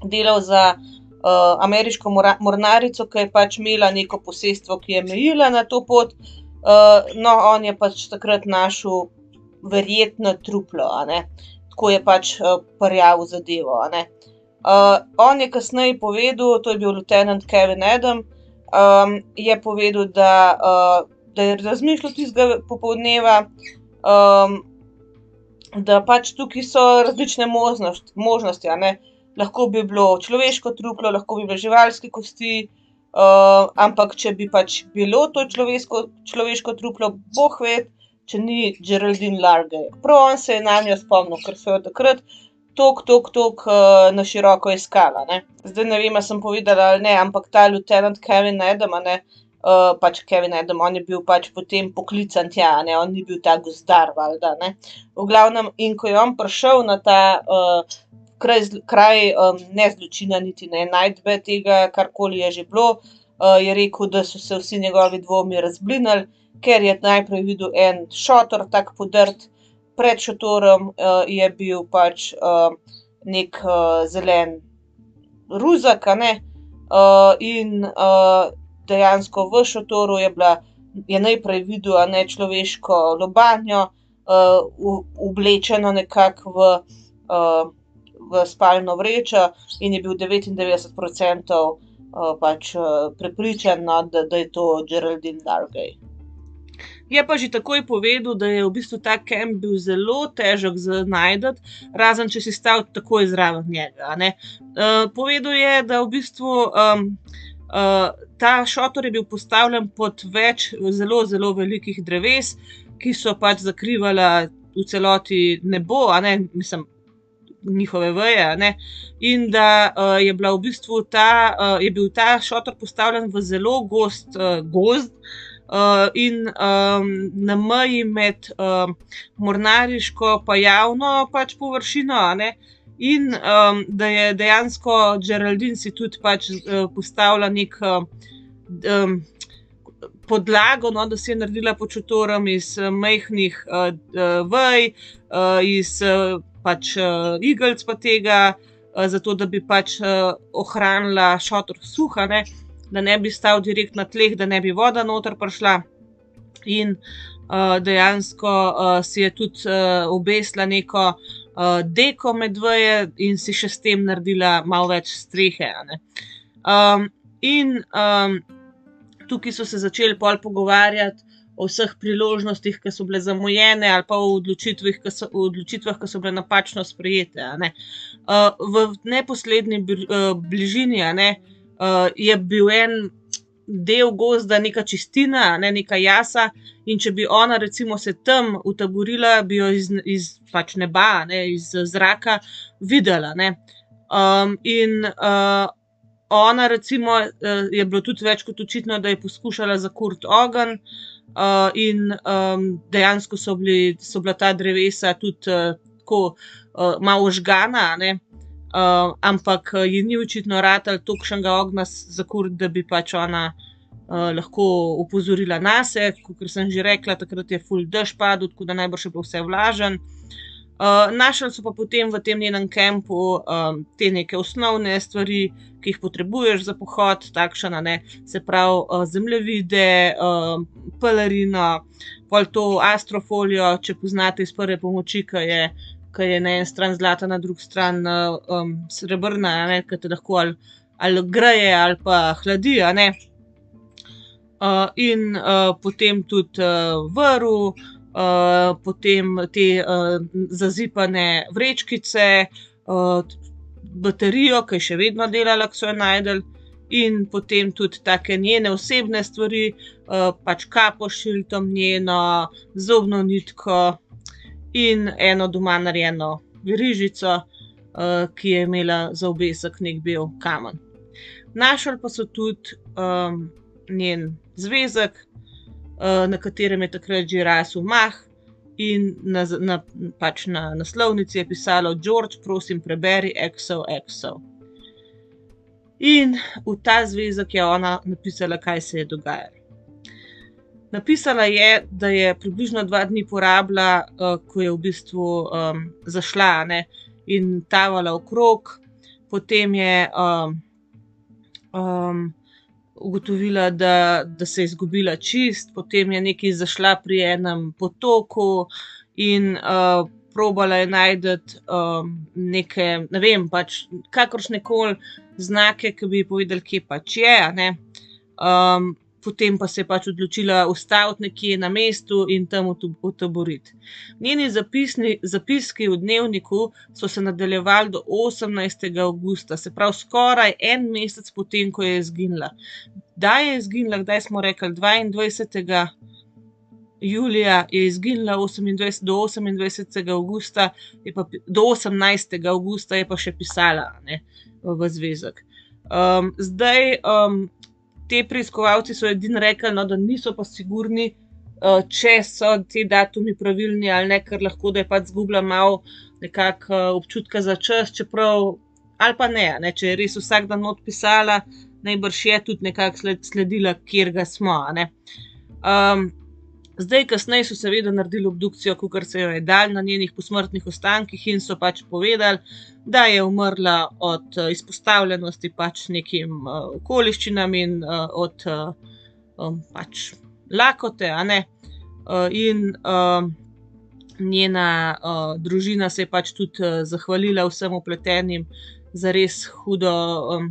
delal za uh, ameriško mora, mornarico, ki je pač imela neko posestvo, ki je mejila na to pot. Uh, no, on je pač takrat našel verjetno truplo, a ne. Tako je pač uh, prijavil zadevo, a ne. Uh, on je kasneje povedal, to je bil lieutenant Kevin Adam, um, je povedal, da, uh, da je razmišljal tistega popoldneva, um, da pač tukaj so različne možnosti, možnosti, a ne. Lahko bi bilo človeško truplo, lahko bi bile živalske kosti, uh, ampak če bi pač bilo to človeško, človeško truplo, boh ved, če ni Geraldine Largay. Prav on se je nanjo spomnil, ker so jo takrat tok, tok, tok uh, na široko iskala, ne. Zdaj ne vem, a sem povedala ali ne, ampak ta lieutenant Kevin Adam, a ne, uh, pač Kevin Adam, on je bil pač potem poklican tja, a ne, on ni bil ta gozdar, valjda, ne. V glavnem, in ko je on prišel na ta uh, kraj, kraj um, ne zločina niti ne najdbe tega, karkoli je že bilo, uh, je rekel, da so se vsi njegovi dvomi razblinili, ker je najprej videl en šotor tak podrt, pred šotorom uh, je bil pač uh, nek uh, zelen ruzak, a ne, uh, in uh, dejansko v šotoru je bila, je najprej videl, a ne, človeško lobanjo, uh, oblečeno nekako v, uh, v spalno vrečo in je bil devetindevetdeset procentov uh, pač uh, prepričan, no, da, da je to Geraldine Largay. Je pa že takoj povedal, da je v bistvu ta kamp bil zelo težek za najti, razen če si stal takoj zraven njega, a ne. Uh, povedal je, da v bistvu um, uh, ta šotor je bil postavljen pod več zelo, zelo velikih dreves, ki so pač zakrivala v celoti nebo, a ne, mislim, njihove veje, a ne, in da uh, je bila v bistvu ta, uh, je bil ta šotor postavljen v zelo gost uh, gozd, Uh, in um, na meji med um, mornariško pa javno pač površino, a ne, in um, da je dejansko Geraldine si tudi pač uh, postavila nek uh, um, podlago, no, da si je naredila pod šotorom iz uh, majhnih uh, uh, vej, uh, iz uh, pač uh, igelc pa tega, uh, zato da bi pač uh, ohranila šotor suh, a ne, da ne bi stal direkt na tleh, da ne bi voda noter prišla, in uh, dejansko uh, si je tudi uh, obesila neko uh, deko med veje in si še s tem naredila malo več strehe, a ne. Um, in um, tukaj so se začeli pol pogovarjati o vseh priložnostih, ki so bile zamujene, ali pa o odločitvah, ki so, o odločitvah, ki so bile napačno sprejete, a ne. Uh, v neposredni bližini, a ne, Uh, je bil en del gozda, neka čistina, ne, neka jasa, in če bi ona recimo se tam utaborila, bi jo iz, iz pač neba, ne, iz zraka videla, ne. Um, in uh, ona recimo uh, je bilo tudi več kot očitno, da je poskušala zakuriti ogenj, uh, in um, dejansko so bili, so bila ta drevesa tudi uh, tako uh, malo ožgana, ne. Uh, ampak ji ni očitno ratalo tolikšnega ognja zakuriti, da bi pač ona uh, lahko opozorila nase, kakor sem že rekla, takrat je ful dež padel, tako da najbrž je bilo vse vlažen. Uh, našli so pa potem v tem njenem kampu um, te neke osnovne stvari, ki jih potrebuješ za pohod, takšen, a ne, se pravi uh, zemljevide, uh, pelerino, pol to astrofolijo, če poznate iz prve pomoči, ki je ki je na eni strani zlata, na drugi strani um, srebrna, a ne, ki te lahko ali, ali greje ali pa hladi, a ne. Uh, in uh, potem tudi uh, vrv, uh, potem te uh, zazipane vrečkice, uh, baterijo, ki je še vedno delala, ko so jo našli, in potem tudi take njene osebne stvari, uh, pač kapo s šiltom njeno, zobno nitko, in eno doma narejeno verižico, uh, ki je imela za obesek nek bel kamen. Našli pa so tudi um, njen zvezek, uh, na katerem je takrat že rasel mah, in na, na, pač na naslovnici je pisalo: George, prosim, preberi X O X O. In v ta zvezek je ona napisala, kaj se je dogajalo. Napisala je, da je približno dva dni porabila, uh, ko je v bistvu um, zašla, ne, in tavala okrog, potem je um, um, ugotovila, da, da se je izgubila čist, potem je nekaj zašla pri enem potoku in uh, probala je najti um, neke, ne vem, pač kakršnekoli znake, ki bi ji povedali, kje pač je, a ne. Um, Potem pa se je pač odločila ustaviti nekje na mestu in tam utaboriti. Njeni zapisni, zapiski v dnevniku so se nadaljevali do osemnajstega avgusta, se pravi skoraj en mesec potem, ko je izginila. kdaj je izginila, kdaj smo rekli, dvaindvajsetega julija je izginila, osemindvajset do osemindvajsetega avgusta, je pa, do osemnajstega avgusta je pa še pisala, ne, v zvezek. Um, zdaj, um, te preiskovalci so edino rekli, no, da niso pa sigurni, uh, če so te datumi pravilni ali ne, ker lahko, da je pač zgubila malo nekako uh, občutka za čas, čeprav, ali pa ne, ne, če je res vsak dan not pisala, najbrž je tudi nekako sled, sledila, kjer ga smo, ne. Um, Zdaj, kasneje so seveda naredili obdukcijo, kakor se jo je dal na njenih posmrtnih ostankih in so pač povedali, da je umrla od uh, izpostavljenosti pač nekim uh, okoliščinam in uh, od uh, um, pač lakote, a ne. Uh, in uh, njena uh, družina se je pač tudi uh, zahvalila vsem vpletenim za res hudo um,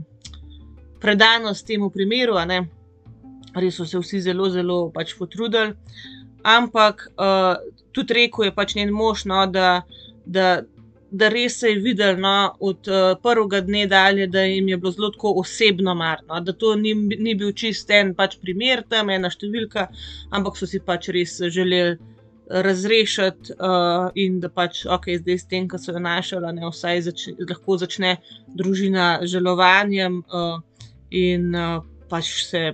predanost temu primeru, a ne. Res so se vsi zelo, zelo pač potrudili, ampak uh, tudi rekel je pač njen mož, no, da, da, da res se je videl, no, od uh, prvega dne dalje, da jim je bilo zelo tako osebno mar, no, da to ni, ni bil čist en pač primer tam, ena številka, ampak so si pač res želeli razrešiti uh, in da pač, ok, zdaj s tem, ko so jo našli, ne, vsaj začne, lahko začne družina žalovanjem uh, in uh, pač se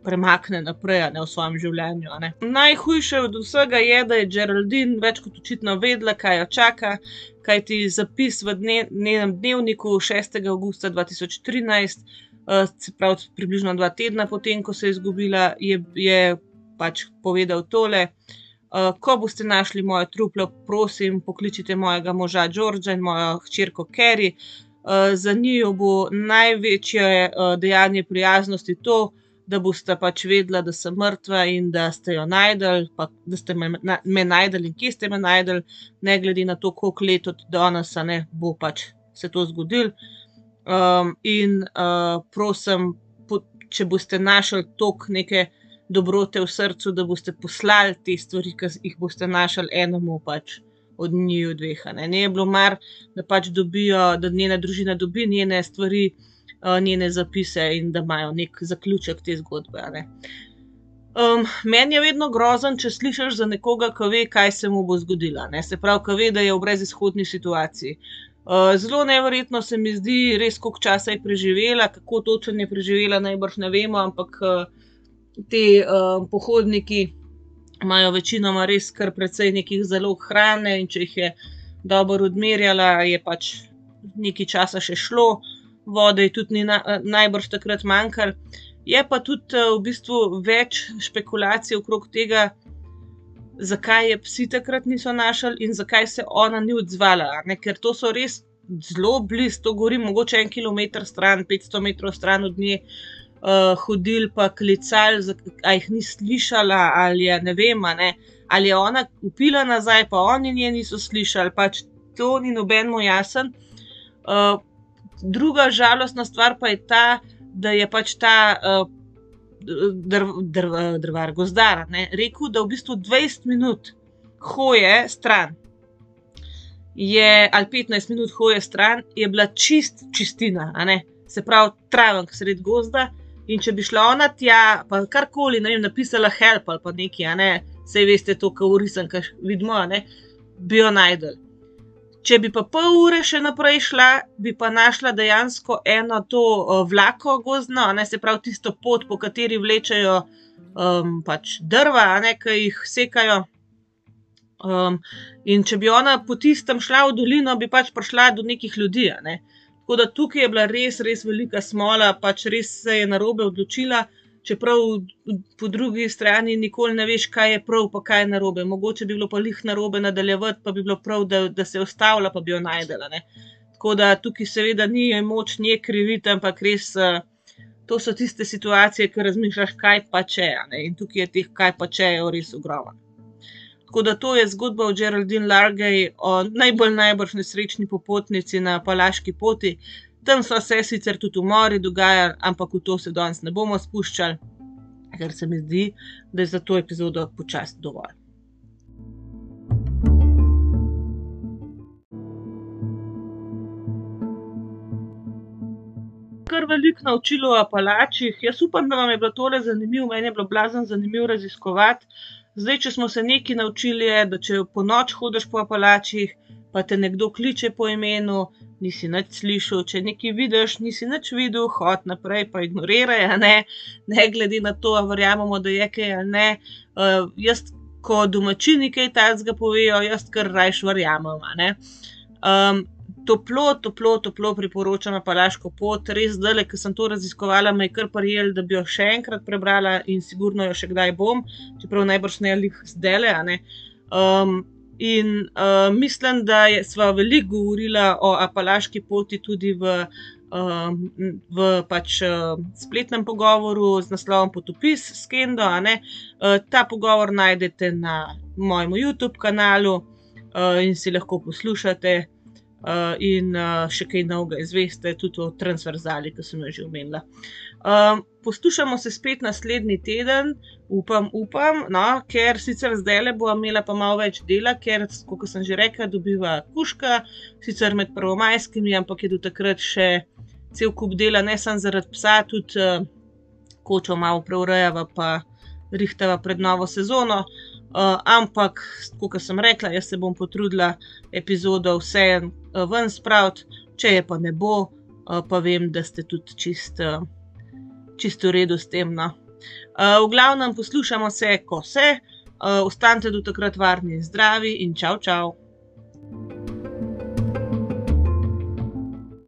premakne naprej, ne, v svojem življenju, a ne. Najhujše od vsega je, da je Geraldine več kot očitno vedela, kaj jo čaka, kajti zapis v dne, njenem dnevniku šestega avgusta dva tisoč trinajst, uh, se pravi približno dva tedna potem, ko se je izgubila, je, je pač povedal tole: uh, ko boste našli moje truplo, prosim, pokličite mojega moža Georgea in mojo hčerko Carrie. Uh, za njiju bo največje uh, dejanje prijaznosti to, da boste pač vedela, da sem mrtva in da ste jo najdli, pa da ste me, na, me najdli in kje ste me najdli, ne glede na to, koliko let od danes, a ne, bo pač se to zgodilo. Um, in uh, prosim, po, če boste našli toliko neke dobrote v srcu, da boste poslali te stvari, ki jih boste našli enemu pač od njiju dveh, a ne. Ne je bilo mar, da pač dobijo, da njena družina dobi njene stvari, njene zapise in da imajo nek zaključek te zgodbe, a ne. Um, meni je vedno grozen, če slišiš za nekoga, ki ve, kaj se mu bo zgodilo, ne. Se pravi, ki ve, da je v brezizhodni situaciji. Uh, zelo neverjetno se mi zdi, res koliko časa je preživela, kako točno je preživela, najbrž ne vemo, ampak uh, te uh, pohodniki imajo večinoma res kar precej nekih zalog hrane in če jih je dobro odmerjala, je pač nekaj časa še šlo. Vode je tudi ni na, najbrž takrat manjkalo. Je pa tudi v bistvu več špekulacij okrog tega, zakaj je psi takrat niso našli in zakaj se ona ni odzvala, ne? Ker to so res zelo blizu, to govorim mogoče en kilometer stran, petsto metrov stran od nje, uh, hodili pa klicali, a jih ni slišala ali je, ne vem, a ne, ali je ona vpila nazaj, pa oni nje niso slišali, pač to ni nobenemu jasen. Uh, Druga žalostna stvar pa je ta, da je pač ta uh, drv, drv, drvar, gozdar, ne, rekel, da v bistvu dvajset minut hoje stran je, ali petnajst minut hoje stran, je bila čist čistina, a ne, se pravi travenk sred gozda in če bi šla ona tja, pa karkoli, ne vem, napisala help ali pa nekaj, a ne, saj veste to, ko v risankah vidimo, a ne, bi jo najdel. Če bi pa pol ure še naprej šla, bi pa našla dejansko eno to uh, vlako gozdno, ne, se pravi tisto pot, po kateri vlečejo um, pač drva, a ne, ki jih sekajo. Um, in če bi ona po tistem šla v dolino, bi pač prišla do nekih ljudi, a ne. Tako da tukaj je bila res, res velika smola, pač res se je narobe odločila, čeprav po drugi strani nikoli ne veš, kaj je prav, pa kaj je narobe. Mogoče bi bilo pa lih narobe nadaljevati, pa bi bilo prav, da, da se je ustavila, pa bi jo najdela, ne. Tako da tukaj seveda ni moč nje kriviti, ampak res, to so tiste situacije, ki razmišljaš, kaj pa če, a ne. In tukaj je teh kaj pa če je res ogromno. Tako da to je zgodba o Geraldine Largay, o najbolj najbrž nesrečni popotnici na Apalaški poti. Tam so se sicer tudi umori dogajali, ampak v to se danes ne bomo spuščali, ker se mi zdi, da je za to epizodo počasi dovolj. Kar kar veliko naučili o Apalačih. Jaz upam, da vam je bilo tole zanimivo, meni je bilo blazno zanimivo raziskovati. Zdaj, če smo se nekaj naučili, je, da če po noč hodiš po Apalačih, pa te nekdo kliče po imenu, nisi nič slišal, če nekaj vidiš, nisi nič videl, hod naprej, pa ignoriraj, a ne, ne glede na to, a verjamemo, da je kaj ali ne. Uh, jaz, ko domačini kaj takega povejo, jaz kar rajš verjamem, a ne. Um, toplo, toplo, toplo priporočam Apalaško pot, res zdajle, ko sem to raziskovala, me je kar prijel, da bi jo še enkrat prebrala in sigurno jo še kdaj bom, čeprav najbrž ne lih zdajle, a ne. Um, In uh, mislim, da je, sva veliko govorila o Apalaški poti tudi v, uh, v pač, uh, spletnem pogovoru z naslovom Potopis s Kendo, a ne. Uh, ta pogovor najdete na mojem YouTube kanalu uh, in si lahko poslušate uh, in uh, še kaj novega izveste, tudi o transverzali, ki sem jo že omenila. Uh, poslušamo se spet naslednji teden, upam, upam, no, ker sicer zdajle bo imela pa malo več dela, ker, kot sem že rekla, dobiva kužka, sicer med prvomajskimi, ampak je do takrat še cel kup dela, ne samo zaradi psa, tudi uh, kočo malo preurejava pa rihtava pred novo sezono, uh, ampak, kot sem rekla, jaz se bom potrudila epizodo vse uh, ven spraviti, če je pa ne bo, uh, pa vem, da ste tudi čist uh, čisto v redu s tem, no. Uh, v glavnem poslušamo se, ko se, uh, ostanite do takrat varni in zdravi in čau, čau.